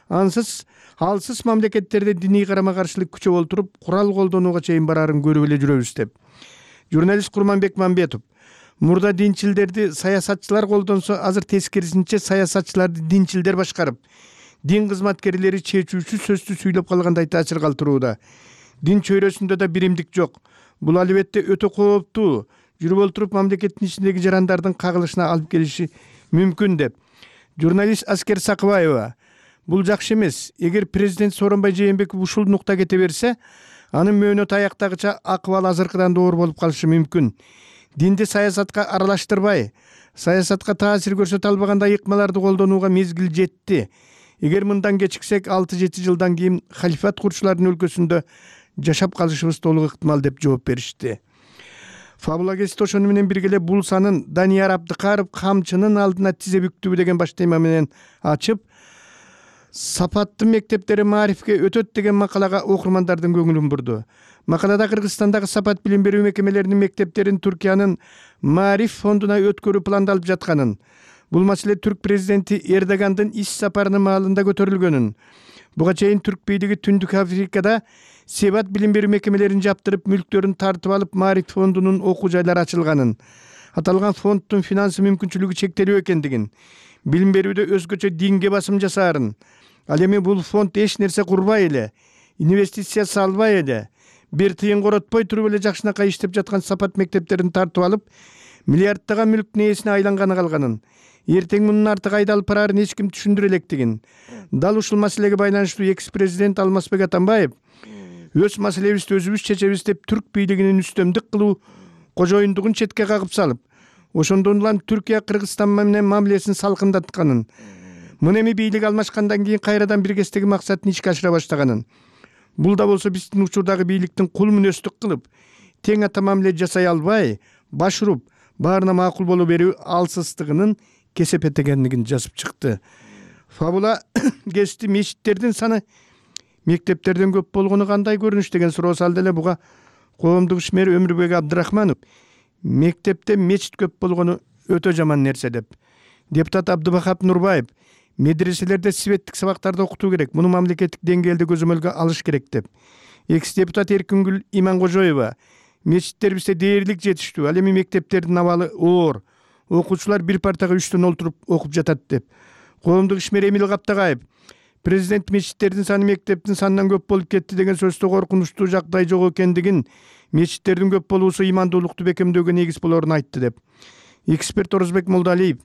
Ансыз алсыз мамлекеттерде диний карама-каршылык күчөп олтуруп, курал колдонууга чейин барарын көрүп эле жүрөбүз деп. Журналист Курманбек Мамбетов мурда динчилдерди саясатчылар колдонсо, азыр тескерисинче саясатчыларды динчилдер башкарып, дин кызматкерлери чечүүчү сөздү сүйлөп калгандай таасир калтырууда. Дин чөйрөсүндө да биримдик жок. Бул албетте өтө кооптуу, жүрүп олтуруп мамлекеттин ичиндеги жарандардын кагылышына алып келиши мүмкүн деп. Журналист Аскер Сакыбаева бул жакшы эмес. Эгер президент Сооронбай Жээнбеков ушул нукта кете берсе, анын мөөнөт аяктагыча акыбал азыркыдан да оор болуп калышы мүмкүн. Динди саясатка аралаштырбай, саясатка таасир көрсөтө албагандай ыкмаларды колдонууга мезгил жетти. Эгер мындан кечиксек, алты жети жылдан кийин халифат курчулардын өлкөсүндө жашап калышыбыз толук ыктымал деп жооп беришти. Фабулагест ошону менен бирге эле бул санын Данияр Абдыкаров камчынын алдына тизе бүктүбү деген баш тема менен ачып, сапаттуу мектептери маарифке өтөт деген макалага окурмандардын көңүлүн бурду. Макалада Кыргызстандагы сапат билим берүү мекемелеринин мектептерин Түркиянын Маариф фондуна өткөрүү пландалып жатканын, бул маселе түрк президенти Эрдогандын иш сапарынын маалында көтөрүлгөнүн, буга чейин түрк бийлиги Түндүк Африкада себат билим берүү мекемелерин жаптырып, мүлктөрүн тартып алып, Маариф фондунун окуу жайлары ачылганын, аталган фонддун финансы мүмкүнчүлүгү чектелүү экендигин, билим берүүдө өзгөчө динге басым жасаарын, ал эми бул фонд эч нерсе курбай эле, инвестиция салбай эле, бир тыйын коротпой туруп эле жакшынакай иштеп жаткан сапат мектептерин тартып алып, миллиарддаган мүлктүн ээсине айланганы калганын, эртең мунун артык айдалып барарын эч ким түшүндүрө электигин. Дал ушул маселеге байланыштуу экс-президент Алмазбек Атамбаев өз маселебизди өзүбүз чечебиз деп түрк бийлигинин үстөмдүк кылуу кожоюндугун четке кагып салып, ошондон улам Түркия Кыргызстан менен мамилесин салкындатканын, мына эми бийлик алмашкандан кийин кайрадан биргестеги максатын ишке ашыра баштаганын, бул да болсо биздин учурдагы бийликтин кул мүнөздүк кылып, тең ата мамиле жасай албай, баш уруп, баарына макул боло берүү алсыздыгынын кесепетегендигин жазып чыкты. Фабула гести мечиттердин саны мектептерден көп болгону кандай көрүнүш деген суроо салды эле буга коомдук ишмер Өмүрбек Абдрахманов мектепте мечит көп болгону өтө жаман нерсе деп. Депутат Абдыбахап Нурбаев медреселерде светтик сабактарды окутуу керек, муну мамлекеттик деңгээлде көзөмөлгө алыш керек деп. Экс-депутат Эркингүл Иманкожоева мечиттер бизде дээрлик жетиштүү, ал эми мектептердин абалы оор, окуучулар бир партага үчтөн олтуруп окуп жатат деп. Коомдук ишмер Эмил Каптагаев президент мечиттердин саны мектептин санынан көп болуп кетти деген сөздө коркунучтуу жагдай жок экендигин, мечиттердин көп болуусу имандуулукту бекемдөөгө негиз болорун айтты деп. Эксперт Орозбек Молдалиев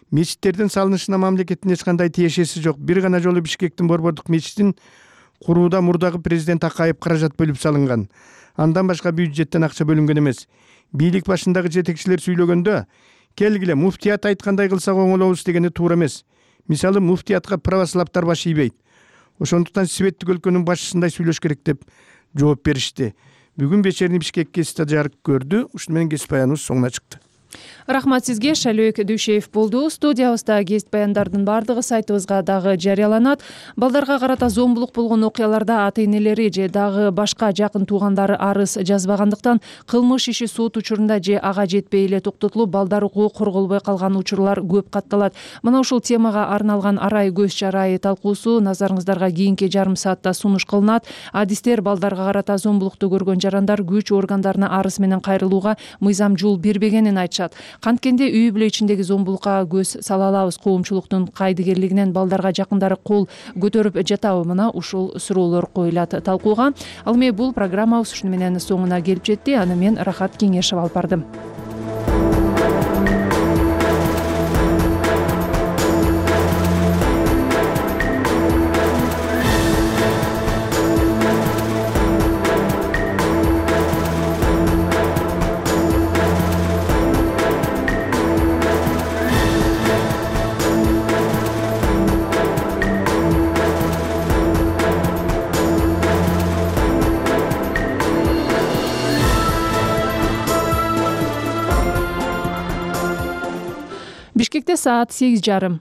мечиттердин салынышына мамлекеттин эч кандай тиешеси жок. Бир гана жолу Бишкектин Борбордук мечитин курууда мурдагы президент Акаев каражат бөлүп салынган. Андан башка бюджеттен акча бөлүнгөн эмес. Бийлик башындагы жетекчилер сүйлөгөндө, келгиле муфтият айткандай кылсак оңолобуз дегени туура эмес. Мисалы, муфтиятка православтар баш ийбейт. Ошондуктан светтик өлкөнүн башчысындай сүйлөш керек деп жооп беришти. Бүгүн вечерний Бишкек гезити жарык көрдү. Ушуну менен гезит баяныбыз соңуна чыкты. Рахмат сизге. Шалөөк Дүйшеев болду. Студиябызда гезит баяндардын бардыгы сайтыбызга дагы жарыяланат. Балдарга карата зомбулук болгон окуяларда ата-энелери же дагы башка жакын туугандары арыз жазбагандыктан кылмыш иши сот учурунда же ага жетпей эле токтотулуп, балдар укугу корголбой калган учурлар көп катталат. Мына ушул темага арналган арай көз чарайы талкуусу назарыңыздарга кийинки жарым саатта сунуш кылынат. Адистер балдарга карата зомбулукту көргөн жарандар күч органдарына арыз менен кайрылууга мыйзам жол бербегенин айтышат. жатышат. Канткенде үй бүлө ичиндеги зомбулукка көз сала алабыз, коомчулуктун кайдыгерлигинен балдарга жакындары кол көтөрүп жатабы? Мына ушул суроолор коюлат талкууга. Ал эми бул программабыз ушуну менен соңуна келип жетти. Аны мен Рахат Кеңешова алып бардым. Бишкекте саат сегиз жарым.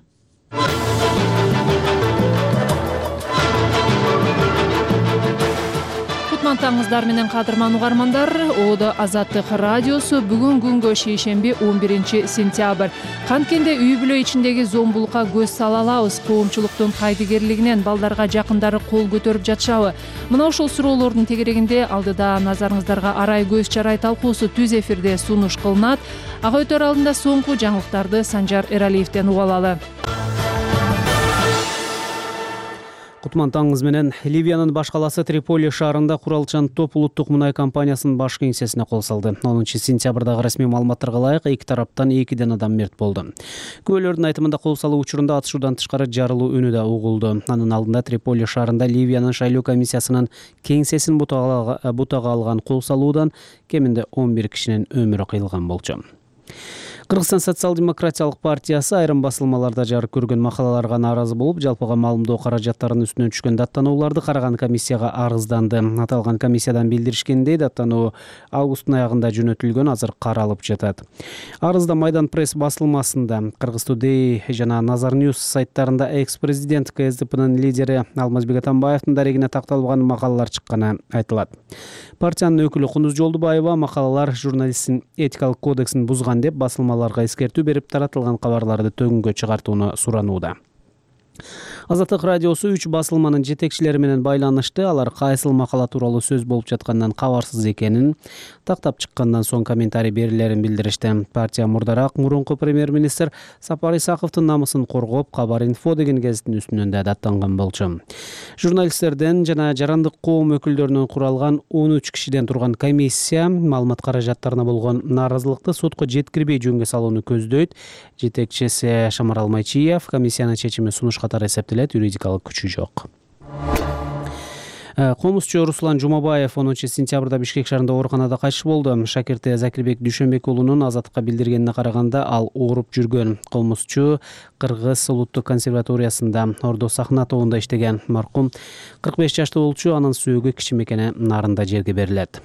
Кутмантаңыздар менен кадырман угармандар. Оодо Азаттык радиосу бүгүн күнгө шейшемби он биринчи сентябрь. Канткенде үй бүлө ичиндеги зомбулукка көз сала алабыз, коомчулуктун кайдыгерлигинен балдарга жакындары кол көтөрүп жатышабы? Мына ушул суроолордун тегерегинде алдыда назарыңыздарга арай көз чарай талкуусу түз эфирде сунуш кылынат. Ага өтөр алдында соңку жаңылыктарды Санжар Эралиевден угуп алалы. Кутман таңыңыз менен. Ливиянын баш каласы Триполи шаарында куралчан топ улуттук мунай компаниясынын баш кеңсесине кол салды. онунчу сентябрдагы расмий маалыматтарга ылайык эки тараптан экиден адам мерт болду. Күбөлөрдүн айтымында кол салуу учурунда атышуудан тышкары жарылуу үнү да угулду. Анын алдында Триполи шаарында Ливиянын шайлоо комиссиясынын кеңсесин бутага алган кол салуудан кеминде он бир кишинин өмүрү кыйылган болчу. Кыргызстан социал-демократиялык партиясы айрым басылмаларда жарык көргөн макалаларга нааразы болуп, жалпыга маалымдоо каражаттарынын үстүнөн түшкөн даттанууларды караган комиссияга арыздданды. Аталган комиссиядан билдиришкендей, даттануу августтун аягында жөнөтүлгөн, азыр каралып жатат. Арызда Майдан пресс басылмасында, Кыргыз Today жана Назар News сайттарында экс-президент КСДПнын лидери Алмазбек Атамбаевдин дарегине такталган макалалар чыкканы айтылат. Партиянын өкүлү Кундуз Жолдубаева макалалар журналисттин этикалык кодексин бузган деп басылмаларга эскертүү берип, таратылган кабарларды төгүнгө чыгартууну суранууда. Азаттык радиосу үч басылманын жетекчилери менен байланышты. Алар кайсыл макала тууралуу сөз болуп жаткандан кабарсыз экенин, тактап чыккандан соң комментарий берилерин билдиришти. Партия мурдараак мурунку премьер-министр Сапар Исаковдун намысын коргоп, Кабар инфо деген гезиттин үстүнөн да даттанган болчу. Журналисттерден жана жарандык коом өкүлдөрүнөн куралган он үч кишиден турган комиссия маалымат каражаттарына болгон нааразылыкты сотко жеткирбей жөнгө салууну көздөйт. Жетекчиси Шамарал Майчиев комиссиянын чечими сунуш катары эсептелет, юридикалык күчү жок. Комузчу Руслан Жумабаев онунчу сентябрда Бишкек шаарында ооруканада кайтыш болду. Шакирти Закирбек Дүйшөнбек уулунун Азаттыкка билдиргенине караганда, ал ооруп жүргөн. Комузчу Кыргыз улуттук консерваториясында Ордо Сахна тобунда иштеген. Маркум кырк беш жаштуу болчу, анын сөөгү Кичи Мекене нарында жерге берилет.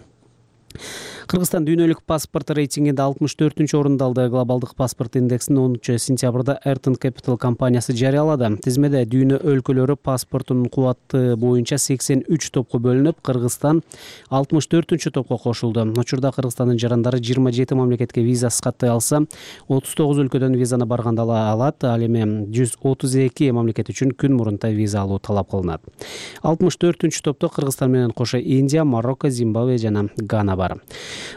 Кыргызстан дүйнөлүк паспорт рейтингинде алтымыш төртүнчү орунду алды. Глобалдык паспорт индексин онунчу сентябрда Ayrton Capital компаниясы жарыялады. Тизмеде дүйнө өлкөлөрү паспортунун кубаты боюнча сексен үч топко бөлүнүп, Кыргызстан алтымыш төртүнчү топко кошулду. Учурда Кыргызстандын жарандары жыйырма жети мамлекетке визасыз каттай алса, отуз тогуз өлкөдөн визаны барганда ала алат. Ал эми жүз отуз эки мамлекет үчүн күн мурунта виза алуу талап кылынат. алтымыш төртүнчү топто Кыргызстан менен кошо Индия, Марокко, Зимбабве жана Гана бар.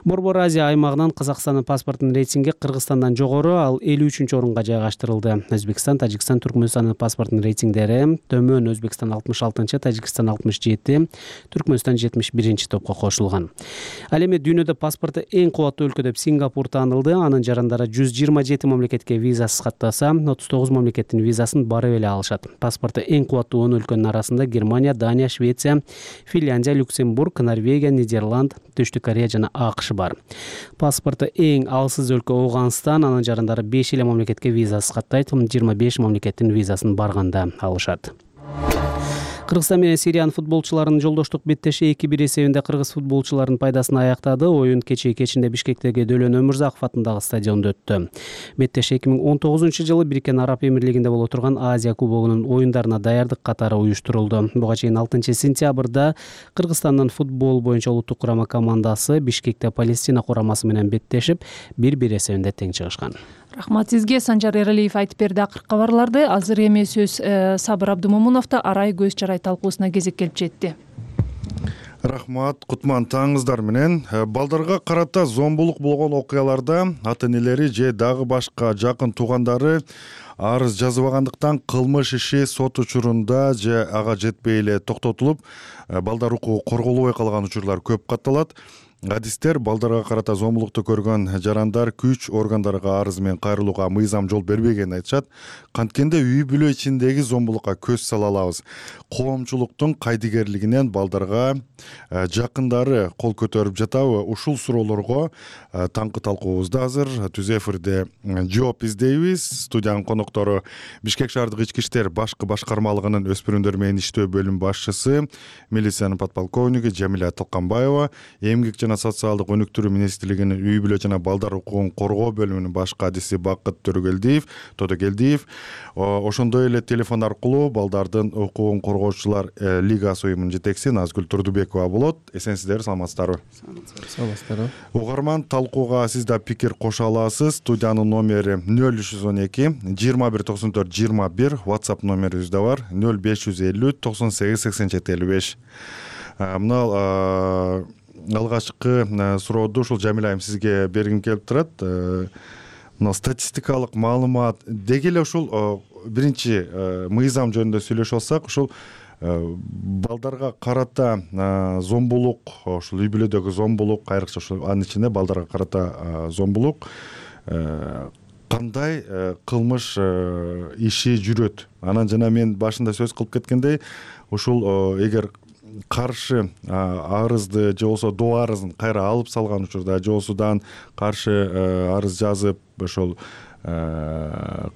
Борбор Азия аймагынан Казакстандын паспорттун рейтинги Кыргызстандан жогору, ал элүү үчүнчү орунга жайгаштырылды. Өзбекстан, Тажикстан, Түркмөнстандын паспорттун рейтингдери төмөн: Өзбекстан алтымыш алтынчы, Тажикстан алтымыш жети, Түркмөнстан жетимиш биринчи топко кошулган. Ал эми дүйнөдө паспорту эң кубаттуу өлкө деп Сингапур таанылды. Анын жарандары жүз жыйырма жети мамлекетке визасыз каттаса, отуз тогуз мамлекеттин визасын барып эле алышат. Паспорту эң кубаттуу он өлкөнүн арасында Германия, Дания, Швеция, Финляндия, Люксембург, Норвегия, Нидерланд, Түштүк Корея жана АКШ бар. Паспорту эң алсыз өлкө Ооганстан, анын жарандары беш эле мамлекетке визасыз каттайт, жыйырма беш мамлекеттин визасын барганда алышат. Кыргызстан менен Сириянын футболчуларынын жолдоштук беттеши эки бир эсебинде кыргыз футболчуларынын пайдасына аяктады. Оюн кечээ кечинде Бишкектеги Дөлөн Өмүрзаков атындагы стадиондо өттү. Беттеш эки миң он тогузунчу жылы Бириккен Араб Эмирлигинде боло турган Азия кубогунун оюндарына даярдык катары уюштурулду. Буга чейин алтынчы сентябрда Кыргызстандын футбол боюнча улуттук курама командасы Бишкекте Палестина курамасы менен беттешип, бир бир эсебинде тең чыгышкан. Рахмат сизге. Санжар Эралиев айтып берди акыркы кабарларды. Азыр эми сөз Сабыр Абдымомуновдо арай көз чарай талкуусуна кезек келип жетти. Рахмат, кутман таңыңыздар менен. Балдарга карата зомбулук болгон окуяларда ата энелери же дагы башка жакын туугандары арыз жазбагандыктан кылмыш иши сот учурунда же ага жетпей эле токтотулуп, балдар укугу корголбой калган учурлар көп катталат. Адистер балдарга карата зомбулукту көргөн жарандар күч органдарга арыз менен кайрылууга мыйзам жол бербегенин айтышат. Канткенде үй бүлө ичиндеги зомбулукка көз сала алабыз. Коомчулуктун кайдыгерлигинен балдарга жакындары кол көтөрүп жатабы? Ушул суроолорго таңкы талкуубузда азыр түз эфирде жооп издейбиз. Студиянын коноктору Бишкек шаардык ички иштер башкы башкармалыгынын өспүрүмдөр менен иштөө бөлүм башчысы, милициянын подполковниги Жамиля Тылканбаева, эмгек жана социалдык өнүктүрүү министрлигинин үй бүлө жана балдар укугун коргоо бөлүмүнүн башкы адиси Бакыт Төрөгелдиев, Тодогелдиев. Ошондой эле телефон аркылуу балдардын укугун коргоочулар лигасы уюмунун жетекчиси Назгүл Турдубекова болот. Эсенсиздер, саламатсыздарбы? Саламатсыздарбы. Угарман, талкууга сиз да пикир кошо аласыз. Студиянын номери нөл үч жүз он эки жыйырма бир токсон төрт жыйырма бир, WhatsApp номерибиз да бар нөл беш жүз элүү токсон сегиз сексен жети элүү беш. Мына алгачкы сурооду ушул Жамиля айым сизге бергим келип турат. Мына статистикалык маалымат деги эле ушул биринчи мыйзам жөнүндө сүйлөшүп алсак, ушул балдарга карата зомбулук, ушул үй бүлөдөгү зомбулук, айрыкча ушул анын ичинде балдарга карата зомбулук кандай кылмыш иши жүрөт? Анан жана мен башында сөз кылып кеткендей, ушул эгер каршы арызды же болбосо доо арызын кайра алып салган учурда, же болбосо каршы арыз жазып ошол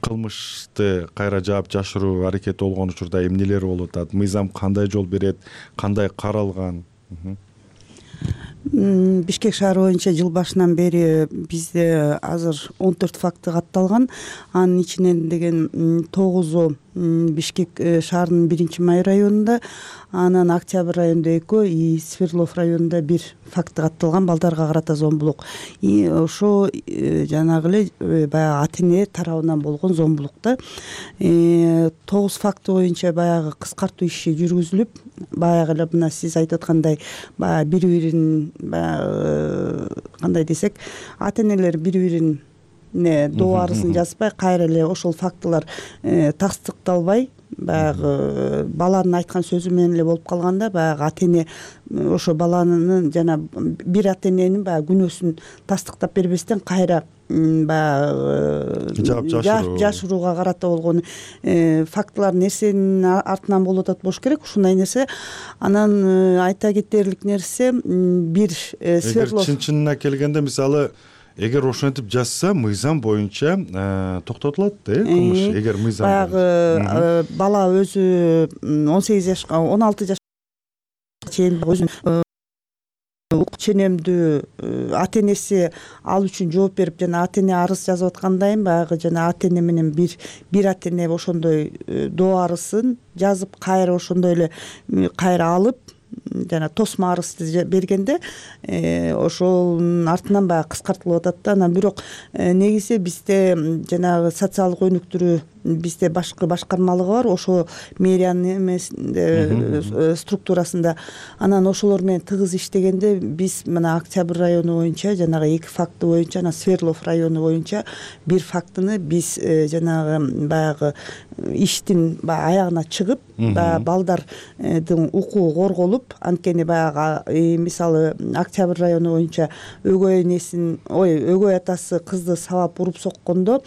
кылмышты кайра жаап жашыруу аракети болгон учурда эмнелер болуп атат? Мыйзам кандай жол берет? Кандай каралган? Бишкек шаары боюнча жыл башынан бери бизде азыр он төрт факты катталган. Анын ичинен деген тогузу Бишкек шаарынын биринчи май районунда, анан Октябрь районунда экөө, и Свердлов районунда бир факты катталган балдарга карата зомбулук. И ошо жанагы эле баягы ата эне тарабынан болгон зомбулук да. Тогуз факты боюнча баягы кыскартуу иши жүргүзүлүп, баягы эле мына сиз айтып аткандай, баягы бири-бирин баягы кандай десек, ата энелер бири-бирин доо арызын жазбай, кайра эле ошол фактылар тастыкталбай, баягы баланын айткан сөзү менен эле болуп калганда, баягы ата эне ошо баланын жана бир ата эненин баягы күнөөсүн тастыктап бербестен кайра баягы жашырууга карата болгон фактылар нерсенин артынан болуп атат болуш керек. Ушундай нерсе. Анан айта кетерлик нерсе, бир Свердлов чын-чынына келгенде, мисалы, эгер ошентип жазса, мыйзам боюнча токтотулат, э, кылмыш. Эгер мыйзам баягы бала өзү он сегиз жашка, он алты жашка чейин өзүнүн ук ченемдүү ата энеси ал үчүн жооп берип, жана ата эне арыз жазып аткандайын, баягы жана ата эне менен бир бир ата эне ошондой доо арызын жазып, кайра ошондой эле кайра алып, жана тосмо арызды бергенде ошонун артынан баягы кыскартылып атат да. Анан бирок негизи бизде жанагы социалдык өнүктүрүү бизде башкы башкармалыгы бар, ошо мэриянын эмесинде структурасында. Анан ошолор менен тыгыз иштегенде биз мына Октябрь району боюнча жанагы эки факты боюнча, анан Свердлов району боюнча бир фактыны биз жанагы баягы иштин баягы аягына чыгып, баягы балдардын укугу корголуп, анткени баягы мисалы Октябрь району боюнча өгөй энесин, ой, өгөй атасы кызды сабап уруп соккондо,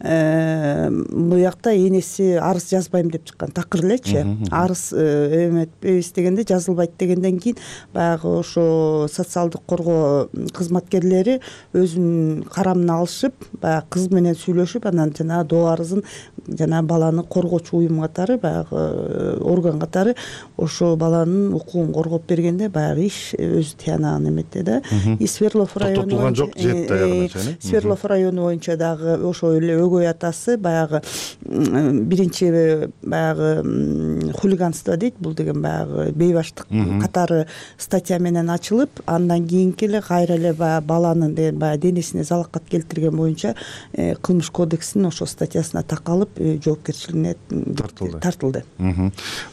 буякта энеси арыз жазбайм деп чыккан, такыр элечи. Арыз эметпейбиз дегенде жазылбайт дегенден кийин баягы ошо социалдык коргоо кызматкерлери өзүнүн карамына алышып, баягы кыз менен сүйлөшүп, анан жана доо арызын жана баланы коргоочу уюм катары, баягы орган катары ошо баланын укугун коргоп бергенде баягы иш өзү тыянагын эметти да. И Свердлов району токтотулган жок, жетти аягына чейин. Свердлов району боюнча дагы ошо эле өгөй атасы баягы биринчи баягы хулиганство дейт, бул деген баягы бейбаштык катары статья менен ачылып, андан кийинки эле кайра эле баягы баланын баягы денесине залакат келтирген боюнча кылмыш кодексинин ошол статьясына такалып жоопкерчилигине тартылды тартылды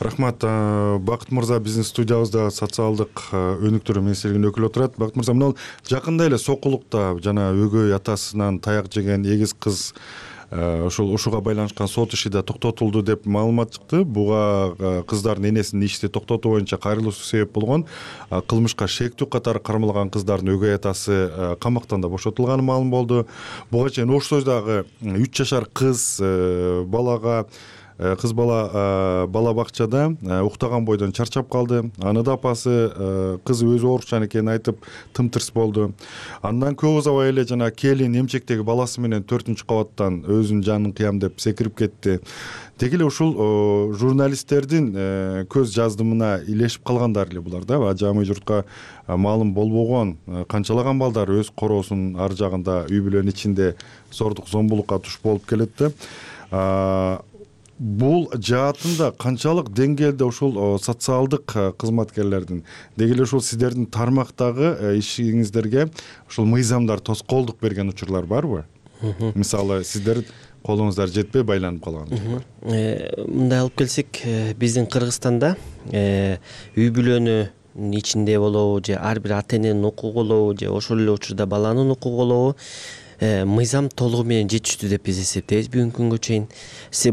Рахмат. Бакыт мырза биздин студиябызда социалдык өнүктүрүү министрлигинин өкүлү отурат. Бакыт мырза, мына жакында эле Сокулукта жана өгөй атасынан таяк жеген эгиз кыз ошол ушуга байланышкан сот иши да токтотулду деп маалымат чыкты. Буга кыздардын энесинин ишти токтотуу боюнча кайрылуусу себеп болгон. Кылмышка шектүү катары кармалган кыздардын өгөй атасы камактан да бошотулганы маалым болду. Буга чейин ош сойдагы үч жашар кыз балага кыз бала бала бакчада уктаган бойдон чарчап калды. Аны да апасы кызы өзү оорукчан экенин айтып тымтырс болду. Андан көп узабай эле жана келин эмчектеги баласы менен төртүнчү кабаттан өзүнүн жанын кыям деп секирип кетти. Деги эле ушул журналисттердин көз жаздымына илешип калгандар эле булар да. Жамый журтка маалым болбогон канчалаган балдар өз короосунун ар жагында үй бүлөнүн ичинде зордук зомбулукка туш болуп келет да. Бул жаатында канчалык деңгээлде ушул социалдык кызматкерлердин, деги эле ушул сиздердин тармактагы ишиңиздерге ушул мыйзамдар тоскоолдук берген учурлар барбы? Мисалы, сиздер колуңуздар жетпей байланып калган учурлар. Мындай алып келсек, биздин Кыргызстанда үй бүлөнүн ичинде болобу же ар бир ата эненин укугу болобу же ошол эле учурда баланын укугу болобу мыйзам толугу менен жетиштүү деп биз эсептейбиз бүгүнкү күнгө чейин.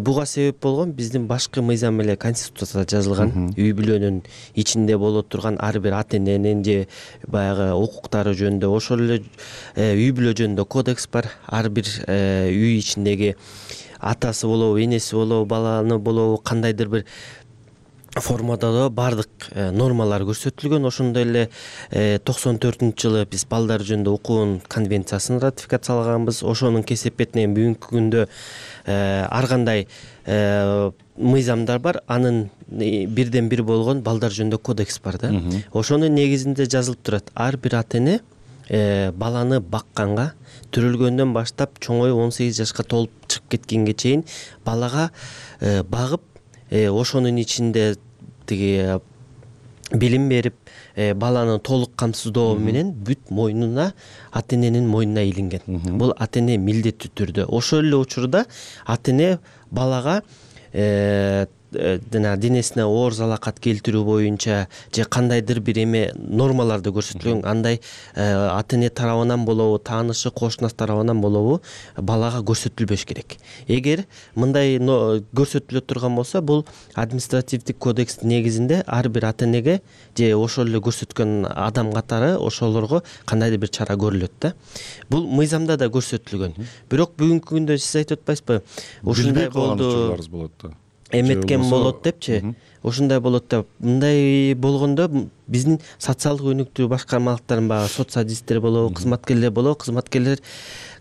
Буга себеп болгон биздин башкы мыйзам эле Конституцияда жазылган үй бүлөнүн ичинде боло турган ар бир ата эненин же баягы укуктары жөнүндө, ошол эле үй бүлө жөнүндө кодекс бар. Ар бир үй ичиндеги атасы болобу, энеси болобу, баланы болобу, кандайдыр бир формада да бардык нормалар көрсөтүлгөн. Ошондой эле токсон төртүнчү жылы биз балдар жөнүндө укугун конвенциясын ратификациялаганбыз. Ошонун кесепетинен бүгүнкү күндө ар кандай мыйзамдар бар. Анын бирден бир болгон балдар жөнүндө кодекс бар да. Ошонун негизинде жазылып турат, ар бир ата эне баланы бакканга, төрөлгөндөн баштап чоңоюп он сегиз жашка толуп чыгып кеткенге чейин балага багып, ошонун ичинде тиги билим берип, баланы толук камсыздоо менен бүт мойнуна, ата эненин мойнуна илинген. Бул ата эне милдеттүү түрдө. Ошол эле учурда ата эне балага жана денесине оор залакат келтирүү боюнча же кандайдыр бир эме нормаларды көрсөтүлгөн, андай ата эне тарабынан болобу, таанышы, кошунасы тарабынан болобу балага көрсөтүлбөш керек. Эгер мындай көрсөтүлө турган болсо, бул административдик кодекстин негизинде ар бир ата энеге же ошол эле көрсөткөн адам катары ошолорго кандайдыр бир чара көрүлөт да. Бул мыйзамда да көрсөтүлгөн. Бирок бүгүнкү күндө сиз айтып атпайсызбы? Ушундай болду, эметкен болот депчи, ушундай болот деп. Мындай болгондо биздин социалдык өнүктүрүү башкармалыктарынын баягы соцсадисттер болобу, кызматкерлер болобу, кызматкерлер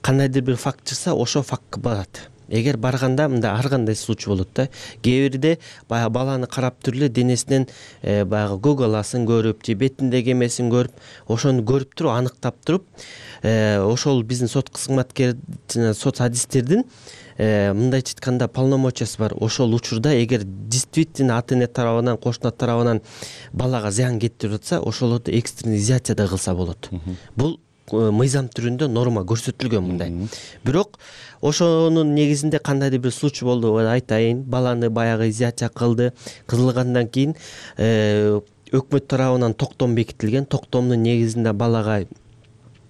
кандайдыр бир факт чыкса, ошол фактка барат. Эгер барганда мындай ар кандай случай болот да. Кээ бирде баягы баланы карап туруп эле денесинен баягы көгаласын көрүп, же бетиндеги эмесин көрүп, ошону көрүп туруп, аныктап туруп, ошол биздин сот кызматкер, соцсадисттердин мындайча айтканда полномочиясы бар. Ошол учурда эгер действительно ата эне тарабынан, кошуна тарабынан балага зыян кетирип атса, ошолорду экстренный изоляция да кылса болот. Бул мыйзам түрүндө норма көрсөтүлгөн мындай. Бирок ошонун негизинде кандайдыр бир случай болду, айтайын, баланы баягы изоляция кылды, кылгандан кийин өкмөт тарабынан токтом бекитилген. Токтомдун негизинде балага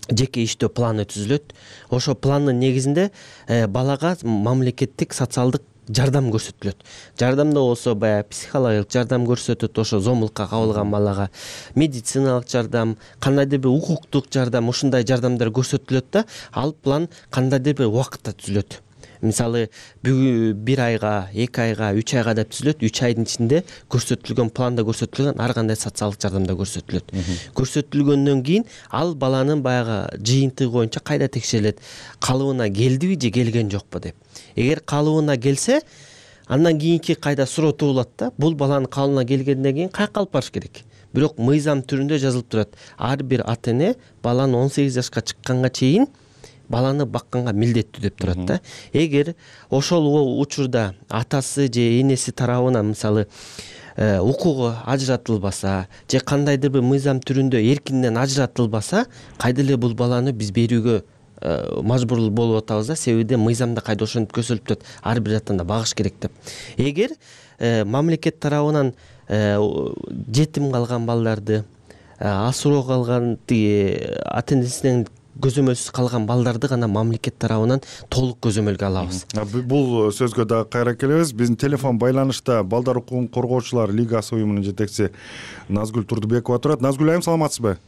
жеке иштөө планы түзүлөт. Ошол пландын негизинде балага мамлекеттик социалдык жардам көрсөтүлөт. Жардамда болсо баягы психологиялык жардам көрсөтөт, ошо зомбулукка кабылган балага медициналык жардам, кандайдыр бир укуктук жардам, ушундай жардамдар көрсөтүлөт да, ал план кандайдыр бир убакытта түзүлөт. Мисалы, бир айга, эки айга, үч айга деп түзүлөт. үч айдын ичинде көрсөтүлгөн планда көрсөтүлгөн ар кандай социалдык жардам да көрсөтүлөт. Көрсөтүлгөндөн кийин ал баланын баягы жыйынтыгы боюнча кайда текшерилет? Калыбына келдиби же келген жокпу деп. Эгер калыбына келсе, андан кийинки кайда суроо болот да. Бул баланын калыбына келгенден кийин каяка алып барыш керек? Бирок мыйзам түрүндө жазылып турат. Ар бир ата эне баланы он сегиз жашка чыкканга чейин баланы бакканга милдеттүү деп турат да. Эгер ошол учурда атасы же энеси тарабынан мисалы укугу ажыратылбаса же кандайдыр бир мыйзам түрүндө эркинден ажыратылбаса, кайда эле бул баланы биз берүүгө мажбур болуп атабыз да. Себеби мыйзамда кайда ошентип көрсөтүлүп турат, ар бир жактан багыш керек деп. Эгер мамлекет тарабынан жетим калган балдарды, асыроо калган ата энесинен көзөмөлсүз калган балдарды гана мамлекет тарабынан толук көзөмөлгө алабыз. Бул сөзгө дагы кайра келебиз. Биздин телефон байланышта Балдар укугун коргоочулар лигасы уюмунун жетекчиси Назгүл Турдубекова турат. Назгүл айым, саламатсызбы?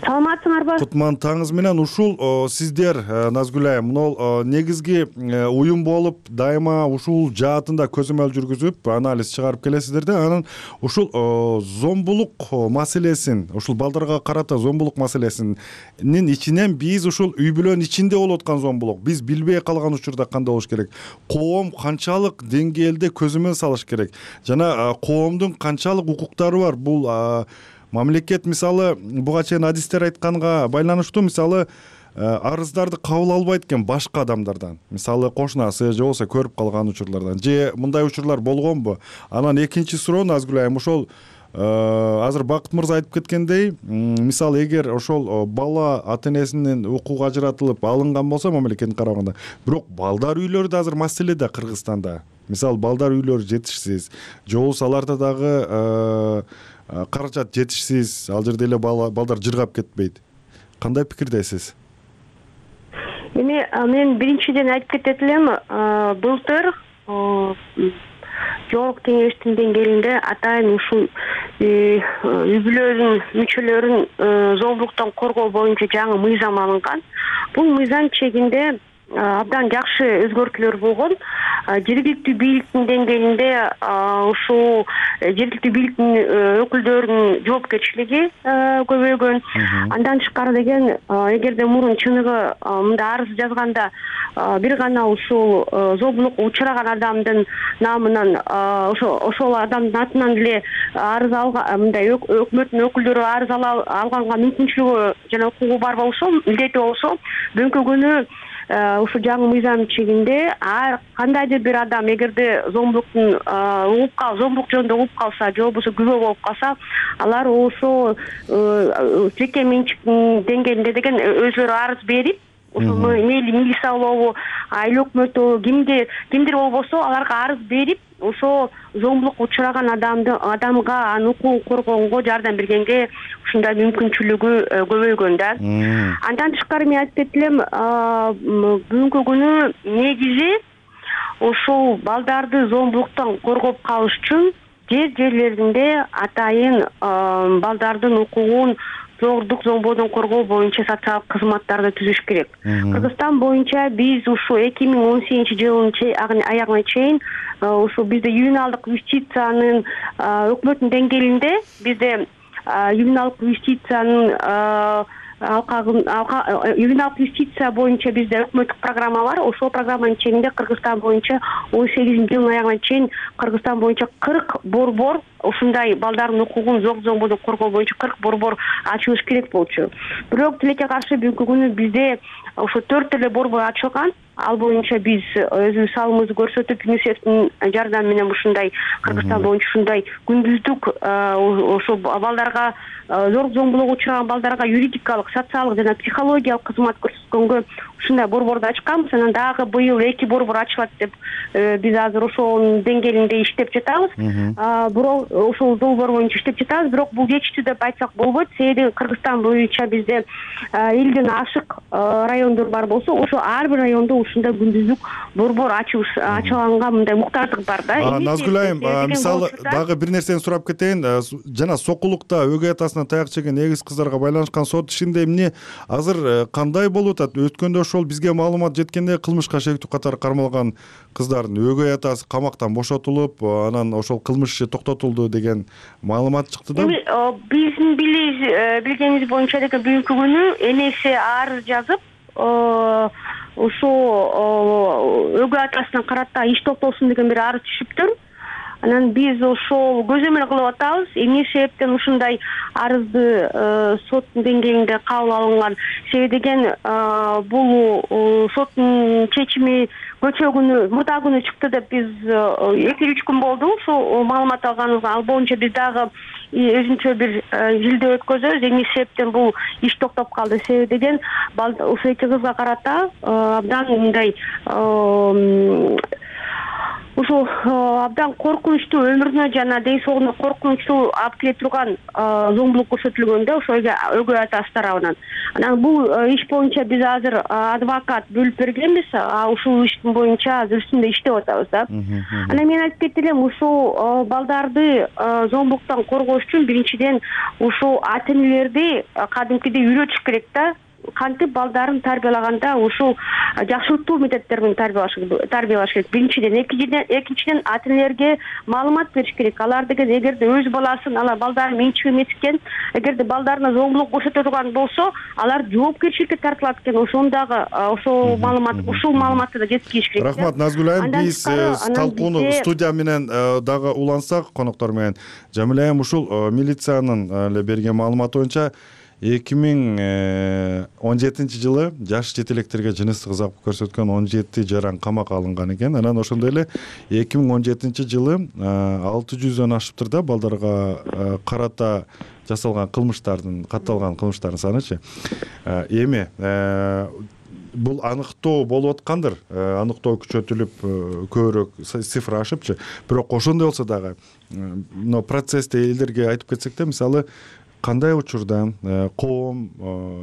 Саламатсыңарбы? Кутман таңыңыз менен. Ушул сиздер, Назгүл айым, мына негизги уюм болуп, дайыма ушул жаатында көзөмөл жүргүзүп, анализ чыгарып келесиздер да. Анан ушул зомбулук маселесин, ушул балдарга карата зомбулук маселесинин ичинен биз ушул үй бүлөнүн ичинде болуп аткан зомбулук, биз билбей калган учурда кандай болуш керек? Коом канчалык деңгээлде көзөмөл салыш керек? Жана коомдун канчалык укуктары бар? Бул мамлекет мисалы буга чейин адистер айтканга байланыштуу, мисалы арыздарды кабыл албайт экен башка адамдардан, мисалы кошунасы же болбосо көрүп калган учурлардан, же мындай учурлар болгонбу? Анан экинчи суроо, Назгүл айым, ошол азыр Бакыт мырза айтып кеткендей, мисалы эгер ошол бала ата энесинин укугу ажыратылып алынган болсо мамлекеттин карамагында, бирок балдар үйлөрү да азыр маселе да Кыргызстанда. Мисалы балдар үйлөрү жетишсиз, же болбосо аларда дагы каражат жетишсиз, ал жерде эле балдар жыргап кетпейт. Кандай пикирдесиз? Эми мен биринчиден айтып кетет элем, былтыр жогорку кеңештин деңгээлинде атайын ушул үй бүлөнүн мүчөлөрүн зомбулуктан коргоо боюнча жаңы мыйзам алынган. Бул мыйзам чегинде абдан жакшы өзгөртүүлөр болгон. Жергиликтүү бийликтин деңгээлинде ушул жергиликтүү бийликтин өкүлдөрүнүн жоопкерчилиги көбөйгөн. Андан тышкары деген, эгерде мурун чыныгы мындай арыз жазганда бир гана ушул зомбулукка учураган адамдын намынан, ошол адамдын атынан эле арыз алган, мындай өкмөттүн өкүлдөрү арыз алганга мүмкүнчүлүгү жана укугу бар болсо, милдети болсо, бүгүнкү күнү ушул жаңы мыйзам чегинде ар кандайдыр бир адам эгерде зомбулуктун угуп кал, зомбулук жөнүндө угуп калса, же болбосо күбө болуп калса, алар ошол жеке менчиктин деңгээлинде деген өзүлөрү арыз берип, ошол мейли милиция болобу, айыл өкмөтү, кимге кимдир болбосо аларга арыз берип, ошол зомбулукка учураган адамды адамга анын укугун коргоонго жардам бергенге ушундай мүмкүнчүлүгү көбөйгөн да. Андан тышкары мен айтып кетелем, бүгүнкү күнү негизи ушул балдарды зомбулуктан коргоп калыш үчүн жер жерлеринде атайын балдардын укугун зордук зомбоодон коргоо боюнча социалдык кызматтарды түзүш керек. Кыргызстан боюнча биз ушу эки миң он сегизинчи жылдын аягына чейин ушу бизде ювеналдык юстициянын өкмөттүн деңгээлинде бизде ювеналдык юстициянын ювеналдык юстиция боюнча бизде өкмөттүк программа бар. Ошол программанын чегинде Кыргызстан боюнча он сегизинчи жылдын аягына чейин Кыргызстан боюнча кырк борбор ушундай балдардын укугун зок зомбоодон коргоо боюнча кырк борбор ачылыш керек болчу. Бирок тилекке каршы бүгүнкү күнү бизде ошо төрт эле борбор ачылган. Ал боюнча биз өзүбүз салымыбызды көрсөтүп, ЮНИСЕФтин жардамы менен ушундай Кыргызстан боюнча ушундай күндүздүк ошо балдарга, зордук зомбулукка учураган балдарга юридикалык, социалдык жана психологиялык кызмат көрсөткөнгө ушундай борборду ачканбыз. Анан дагы быйыл эки борбор ачылат деп биз азыр ошонун деңгээлинде иштеп жатабыз. Бирок ошол долбоор боюнча иштеп жатабыз. Бирок бул жетиштүү деп айтсак болбойт. Себеби Кыргызстан боюнча бизде элден ашык райондор бар болсо, ошо ар бир райондо ушундай күндүздүк борбор ачылганга мындай муктаждык бар да. Назгүл айым, мисалы дагы бир нерсени сурап кетейин. Жана Сокулукта өгөй атасынан таяк жеген эгиз кыздарга байланышкан сот ишинде эмне азыр кандай болуп атат? Өткөндө ошол бизге маалымат жеткенде кылмышка шектүү катары кармалган кыздардын өгөй атасы камактан бошотулуп, анан ошол кылмыш иши токтотулду деген маалымат чыкты да. Биздин билгенибиз боюнча деген бүгүнкү күнү энеси арыз жазып, ошо өгөй атасына карата иш токтолсун деген бир арыз түшүптүр. анан биз ошол көзөмөл кылып атабыз. Эмне себептен ушундай арызды соттун деңгээлинде кабыл алынган? Себеби деген бул соттун чечими көчө күнү, мурда күнү чыкты деп биз эки үч күн болду ушул маалымат алганыбызга. Ал боюнча биз дагы өзүнчө бир жилдөө өткөзөбүз. Эмне себептен бул иш токтоп калды? Себеби деген ушул эки кызга карата абдан мындай ушул абдан коркунучтуу, өмүрүнө жана ден соолугуна коркунучтуу алып келе турган зомбулук көрсөтүлгөн да ошо өгөй атасы тарабынан. Анан бул иш боюнча биз азыр адвокат бөлүп бергенбиз. Ушул иштин боюнча азыр үстүндө иштеп атабыз да. Анан мен айтып кетти элем, ушул балдарды зомбулуктан коргош үчүн биринчиден ушул ата-энелерди кадимкидей үйрөтүш керек да. Кантип балдарын тарбиялаганда ушул жакшылыктуу методдор менен тарбиялаш керек. Биринчиден, экинчиден ата-энелерге маалымат бериш керек. Алар деген эгерде өз баласын, алар балдарын менчик эметкен, эгерде балдарына зомбулук көрсөтө турган болсо, алар жоопкерчиликке тартылат экен. Ошону дагы ошол маалымат, ушул маалыматты да жеткириш керек. Рахмат Назгүл айым. Биз талкууну студия менен дагы улансак, коноктор менен. Жамиля айым, ушул милициянын эле берген маалыматы боюнча эки миң он жетинчи жылы жаш жетелектерге жыныстык ыза көрсөткөн он жети жаран камакка алынган экен. Анан ошондой эле эки миң он жетинчи жылы алты жүздөн ашыптыр да балдарга карата жасалган кылмыштардын, катталган кылмыштардын санычы. Эми бул аныктоо болуп аткандыр, аныктоо күчөтүлүп көбүрөөк цифра ашыпчы. Бирок ошондой болсо дагы мына процессте элдерге айтып кетсек да, мисалы кандай учурда коом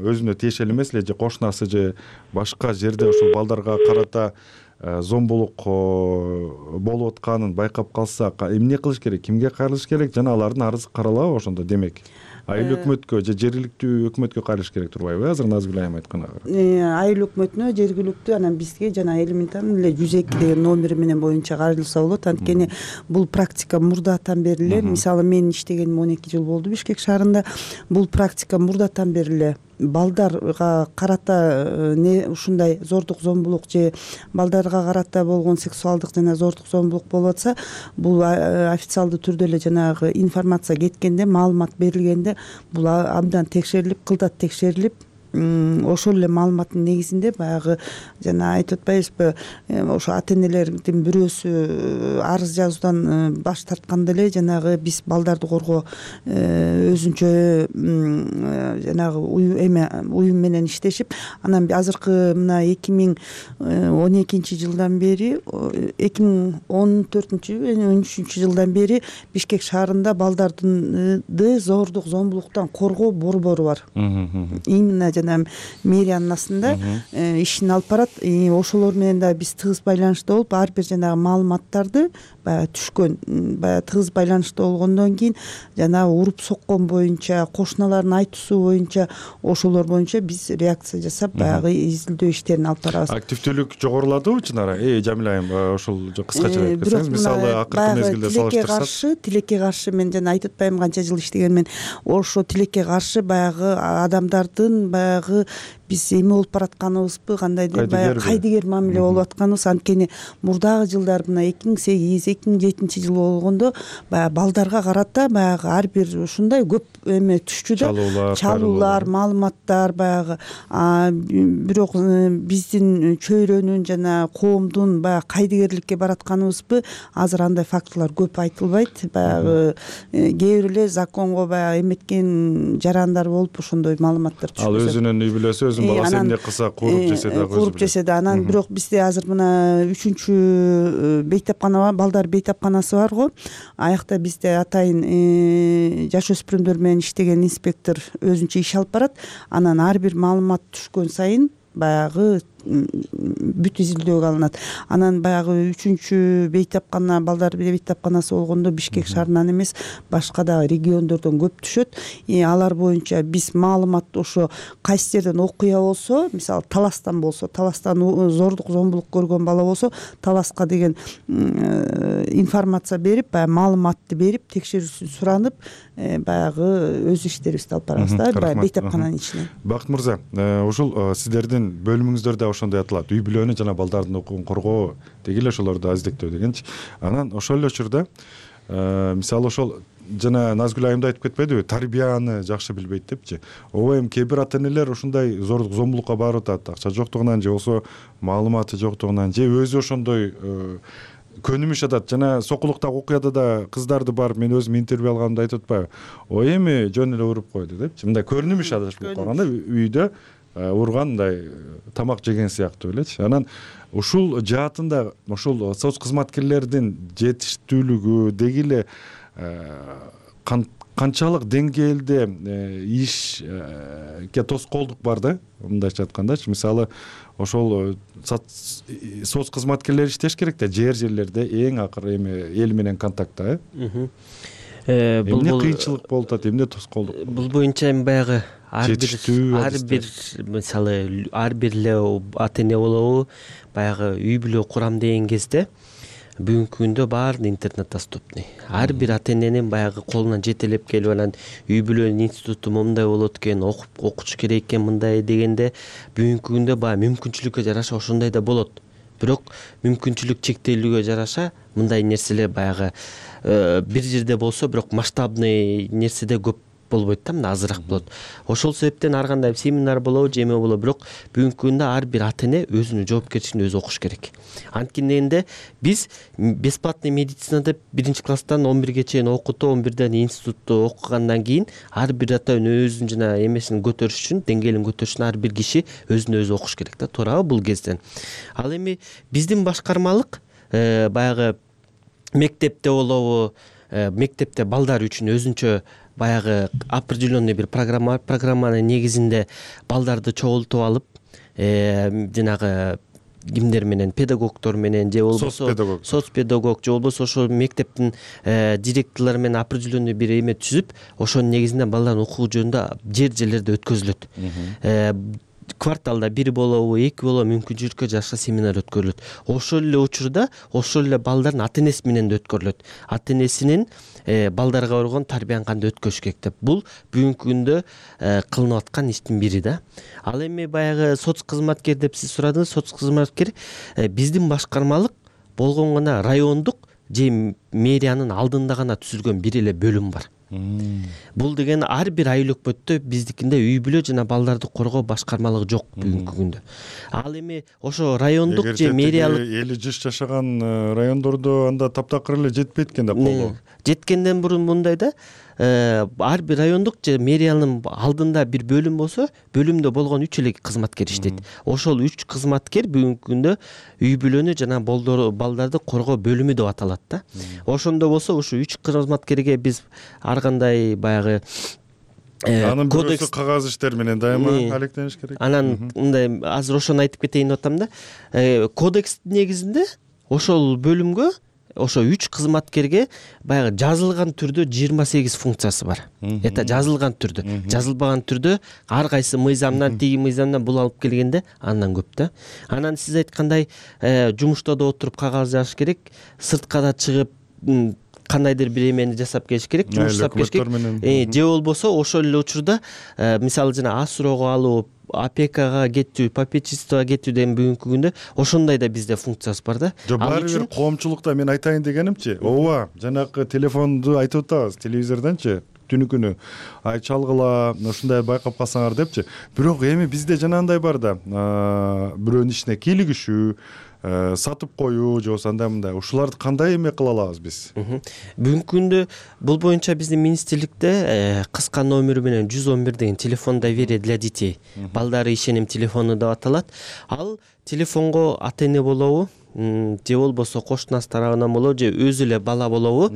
өзүнө тиешелүү эмес эле же кошунасы же башка жерде ушул балдарга карата зомбулук болуп атканын байкап калса эмне кылыш керек, кимге кайрылыш керек жана алардын арызы каралабы ошондо? Демек айыл өкмөткө же жергиликтүү өкмөткө кайрылыш керек турбайбы? Азыр Назгүл айым айтканга айыл өкмөтүнө, жергиликтүү, анан бизге жана элементарный эле жүз эки деген номери менен боюнча кайрылса болот. Анткени бул практика мурдатан бери эле, мисалы мен иштегениме он эки жыл болду Бишкек шаарында. Бул практика мурдатан бери эле балдарга карата не ушундай зордук зомбулук же балдарга карата болгон сексуалдык жана зордук зомбулук болуп атса, бул официалдуу түрдө эле жанагы информация кеткенде, маалымат берилгенде бул абдан текшерилип, кылдат текшерилип, ошол эле маалыматтын негизинде баягы жана айтып атпайбызбы, ошо ата-энелердин бирөөсү арыз жазуудан баш тартканда эле жанагы биз балдарды коргоо өзүнчө жанагы эме уюм менен иштешип, анан азыркы мына эки миң он экинчи жылдан бери, эки миң он төртүнчү он үчүнчү жылдан бери Бишкек шаарында балдарды зордук зомбулуктан коргоо борбору бар. Именно жана мэриянын астында ишин алып барат. Ошолор менен да биз тыгыз байланышта болуп, ар бир жанагы маалыматтарды баягы түшкөн, баягы тыгыз байланышта болгондон кийин жанагы уруп соккон боюнча, кошуналардын айтуусу боюнча, ошолор боюнча биз реакция жасап баягы изилдөө иштерин алып барабыз. Активдүүлүк жогоруладыбы чынара? Э, Жамиля айым, ошол кыскача айтып кетсеңиз, мисалы акыркы мезгилде салыштырсак. Каршы, тилекке каршы мен жана айтып атпайм канча жыл иштегенмен, ошо тилекке каршы баягы адамдардын баягы биз эме болуп баратканыбызбы, кандайдыр баягы кайдыгер мамиле болуп атканыбыз. Анткени мурдагы жылдар мына эки миң сегиз эки миң жетинчи жыл болгондо баягы балдарга карата баягы ар бир ушундай көп эме түшчү да, чалуулар, маалыматтар баягы. Бирок биздин чөйрөнүн жана коомдун баягы кайдыгерликке баратканыбызбы, азыр андай фактылар көп айтылбайт. Баягы кээ бир эле законго баягы эметкен жарандар болуп ошондой маалыматтар түшүп. Ал өзүнүн үй бүлөсү, өзүнүн баласы эмне кылса кууруп жесе дагы кууруп жесе да. Анан бирок бизде азыр мына үчүнчү бейтапкана бар, балдар бейтапканасы бар го. Аякта бизде атайын жаш өспүрүмдөр менен иштеген инспектор өзүнчө иш алып барат. Анан ар бир маалымат түшкөн сайын баягы бүт изилдөөгө алынат. Анан баягы үчүнчү бейтапкана, балдар бейтапканасы болгондо Бишкек шаарынан эмес, башка да региондордон көп түшөт. Алар боюнча биз маалымат ошо кайсы жерден окуя болсо, мисалы Таластан болсо, Таластан зордук зомбулук көргөн бала болсо, Таласка деген информация берип, баягы маалыматты берип, текшерүүсүн суранып, баягы өз иштерибизди алып барабыз да, баягы бейтапкананын ичинен. Бакыт мырза, ушул сиздердин бөлүмүңүздөрдө ошондой аталат, үй бүлөнү жана балдардын укугун коргоо деги эле ошолорду аздектөө дегенчи. Анан ошол эле учурда мисалы ошол жана Назгүл айымда айтып кетпедиби, тарбияны жакшы билбейт депчи. Ооба эми кээ бир ата энелер ушундай зордук зомбулукка барып атат, акча жоктугунан же болбосо маалыматы жоктугунан же өзү ошондой көнүмүш атат. Жана Сокулуктагы окуяда да кыздарды барып мен өзүм интервью алганымда айтып атпайбы, ой эми жөн эле уруп койду депчи. Мындай көрүнүш адашып калганда үйдө урган мындай тамак жеген сыяктуу элечи. Анан ушул жаатында ошол соц кызматкерлердин жетиштүүлүгү деги эле канчалык деңгээлде ишке тоскоолдук бар да, мындайча айткандачы. Мисалы ошол соц кызматкерлери иштеш керек да, жер жерлерде эң акыры эми эл менен контактта. Эмне кыйынчылык болуп атат, эмне тоскоолдук? Бул боюнча эми баягы ар бир ар бир мисалы ар бир эле ата эне болобу, баягы үй бүлө курам деген кезде бүгүнкү күндө баары интернет доступный. Ар бир ата эненин баягы колунан жетелеп келип анан үй бүлөнүн институту мындай болот экен, окуп окутуш керек экен мындай дегенде бүгүнкү күндө баягы мүмкүнчүлүккө жараша ошондой да болот. Бирок мүмкүнчүлүк чектелүүгө жараша мындай нерселер баягы бир жерде болсо, бирок масштабный нерседе көп болбойт да, мына азыраак болот. Ошол себептен ар кандай семинар болобу, же эме болобу, бирок бүгүнкү күндө ар бир ата эне өзүнүн жоопкерчилигин өзү окуш керек. Анткени биз бесплатный медицина деп биринчи класстан он бирге чейин окутуп, он бирден институтта окугандан кийин ар бир ата эне өзүнүн жана эмесин көтөрүш үчүн, деңгээлин көтөрүш үчүн ар бир киши өзүн өзү окуш керек да, туурабы бул кезден. Ал эми биздин башкармалык баягы мектепте болобу, мектепте балдар үчүн өзүнчө баягы определенный бир программа бар. Программанын негизинде балдарды чогултуп алып, жанагы кимдер менен, педагогдор менен же болбосо соц педагог же болбосо ошол мектептин директорлору менен определенный бир эме түзүп, ошонун негизинде балдардын укугу жөнүндө жер жерлерде өткөзүлөт. Кварталда бир болобу, эки болобу мүмкүнчүлүккө жараша семинар өткөрүлөт. Ошол эле учурда ошол эле балдардын ата энеси менен да өткөрүлөт. Ата энесинин балдарга болгон тарбияны кандай өткөрүш керек деп. Бул бүгүнкү күндө кылынып аткан иштин бири да. Ал эми баягы соц кызматкер деп сиз сурадыңыз. Соц кызматкер биздин башкармалык болгон гана райондук же мэриянын алдында гана түзүлгөн бир эле бөлүм бар. Бул деген ар бир айыл өкмөттө биздикинде үй бүлө жана балдарды коргоо башкармалыгы жок бүгүнкү күндө. Ал эми ошо райондук же мэриялык эли жыш жашаган райондордо анда таптакыр эле жетпейт экен да колдоо. Жеткенден мурун мындай да, ар бир райондук же мэриянын алдында бир бөлүм болсо, бөлүмдө болгон үч эле кызматкер иштейт. Ошол үч кызматкер бүгүнкү күндө үй бүлөнү жана балдарды коргоо бөлүмү деп аталат да. Ошондо болсо ушу үч кызматкерге биз ар кандай баягы анын бирөөсү кагаз иштер менен дайыма алектениш керек. Анан мындай азыр ошону айтып кетейин деп атам да. Кодекстин негизинде ошол бөлүмгө ошо үч кызматкерге баягы жазылган түрдө жыйырма сегиз функциясы бар. Это жазылган түрдө. Жазылбаган түрдө ар кайсы мыйзамдан, тиги мыйзамдан бул алып келгенде андан көп да. Анан сиз айткандай жумушта да отуруп кагаз жазыш керек, сыртка да чыгып кандайдыр бир эмени жасап келиш керек, жумуш жасап келиш керек. Же болбосо ошол эле учурда мисалы жана а суроого алуу, опекага кетүү, попечительствого кетүү деген бүгүнкү күндө ошондой да бизде функциясы бар да. Жок, баары бир коомчулукта мен айтайын дегенимчи, ооба, жанагы телефонду айтып атабыз телевизордончу, түнү күнү ай чалгыла, ушундай байкап калсаңар депчи. Бирок эми бизде жанагындай бар да, бирөөнүн ишине кийлигишүү, сатып коюу же болбосо андай мындай, ушуларды кандай эме кыла алабыз биз? Бүгүнкү күндө бул боюнча биздин министрликте кыска номери менен жүз он бир деген телефон доверия для детей, балдары ишеним телефону деп аталат. Ал телефонго ата эне болобу, же болбосо кошунасы тарабынан болобу, же өзү эле бала болобу,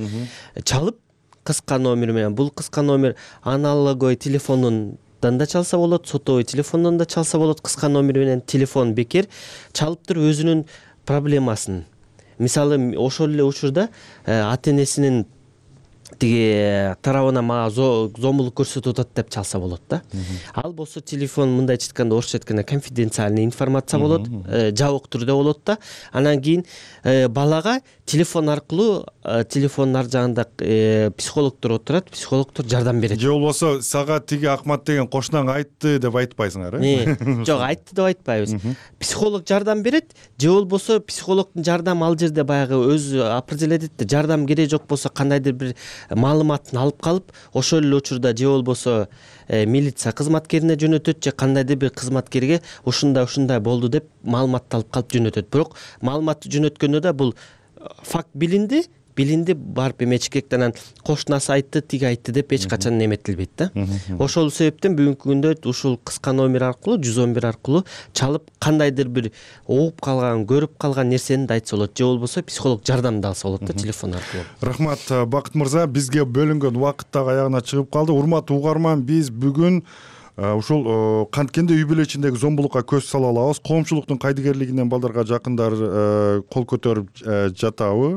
чалып кыска номер менен, бул кыска номер аналоговый телефонун да чалса болот, сотовый телефондон да чалса болот, кыска номер менен телефон бекер чалып туруп өзүнүн проблемасын. Мисалы ошол эле учурда ата энесинин тиги тарабынан мага зомбулук көрсөтүп атат деп чалса болот да. Ал болсо телефон мындайча айтканда орусча айтканда конфиденциальный информация болот, жабык түрдө болот да. Анан кийин балага телефон аркылуу телефондун ар жагында психологдор отурат, психологдор жардам берет. Же болбосо сага тиги Акмат деген кошунаң айтты деп айтпайсыңар, э? Жок, айтты деп айтпайбыз. Психолог жардам берет, же болбосо психологдун жардамы ал жерде баягы өзү определять этти. Жардам керек жок болсо кандайдыр бир маалыматын алып калып, ошол эле учурда же болбосо милиция кызматкерине жөнөтөт, же кандайдыр бир кызматкерге ушундай ушундай болду деп маалыматты алып калып жөнөтөт. Бирок маалыматты жөнөткөндө да бул факт билинди, билинди барып эмечекек анан кошунасы айтты, тиги айтты деп эч качан эметилбейт да. Ошол себептен бүгүнкү күндө ушул кыска номер аркылуу жүз он бир аркылуу чалып кандайдыр бир угуп калган, көрүп калган нерсени да айтса болот, же болбосо психолог жардамды алса болот да телефон аркылуу. Рахмат Бакыт мырза, бизге бөлүнгөн убакыт дагы аягына чыгып калды. Урматтуу угарман, биз бүгүн ушул канткенде үй бүлө ичиндеги зомбулукка көз сала алабыз. Коомчулуктун кайдыгерлигинен балдарга жакындар кол көтөрүп жатабы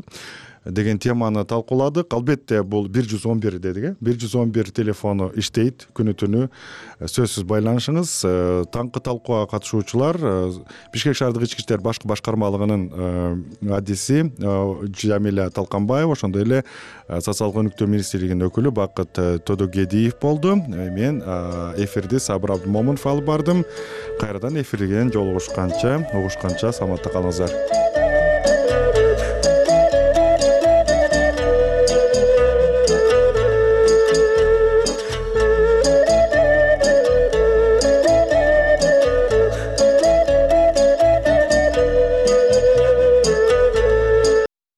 деген теманы талкууладык. Албетте бул бир жүз он бир дедик, э? бир жүз он бир телефону иштейт күнү түнү. Сөзсүз байланышыңыз. Таңкы талкууга катышуучулар Бишкек шаардык ички иштер башкы башкармалыгынын адиси Жамиля Талканбаева, ошондой эле социалдык өнүктүү министрлигинин өкүлү Бакыт Тодогедиев болду. Мен эфирди Сабыр Абдымомунов алып бардым. Кайрадан эфирден жолугушканча, угушканча саламатта калыңыздар.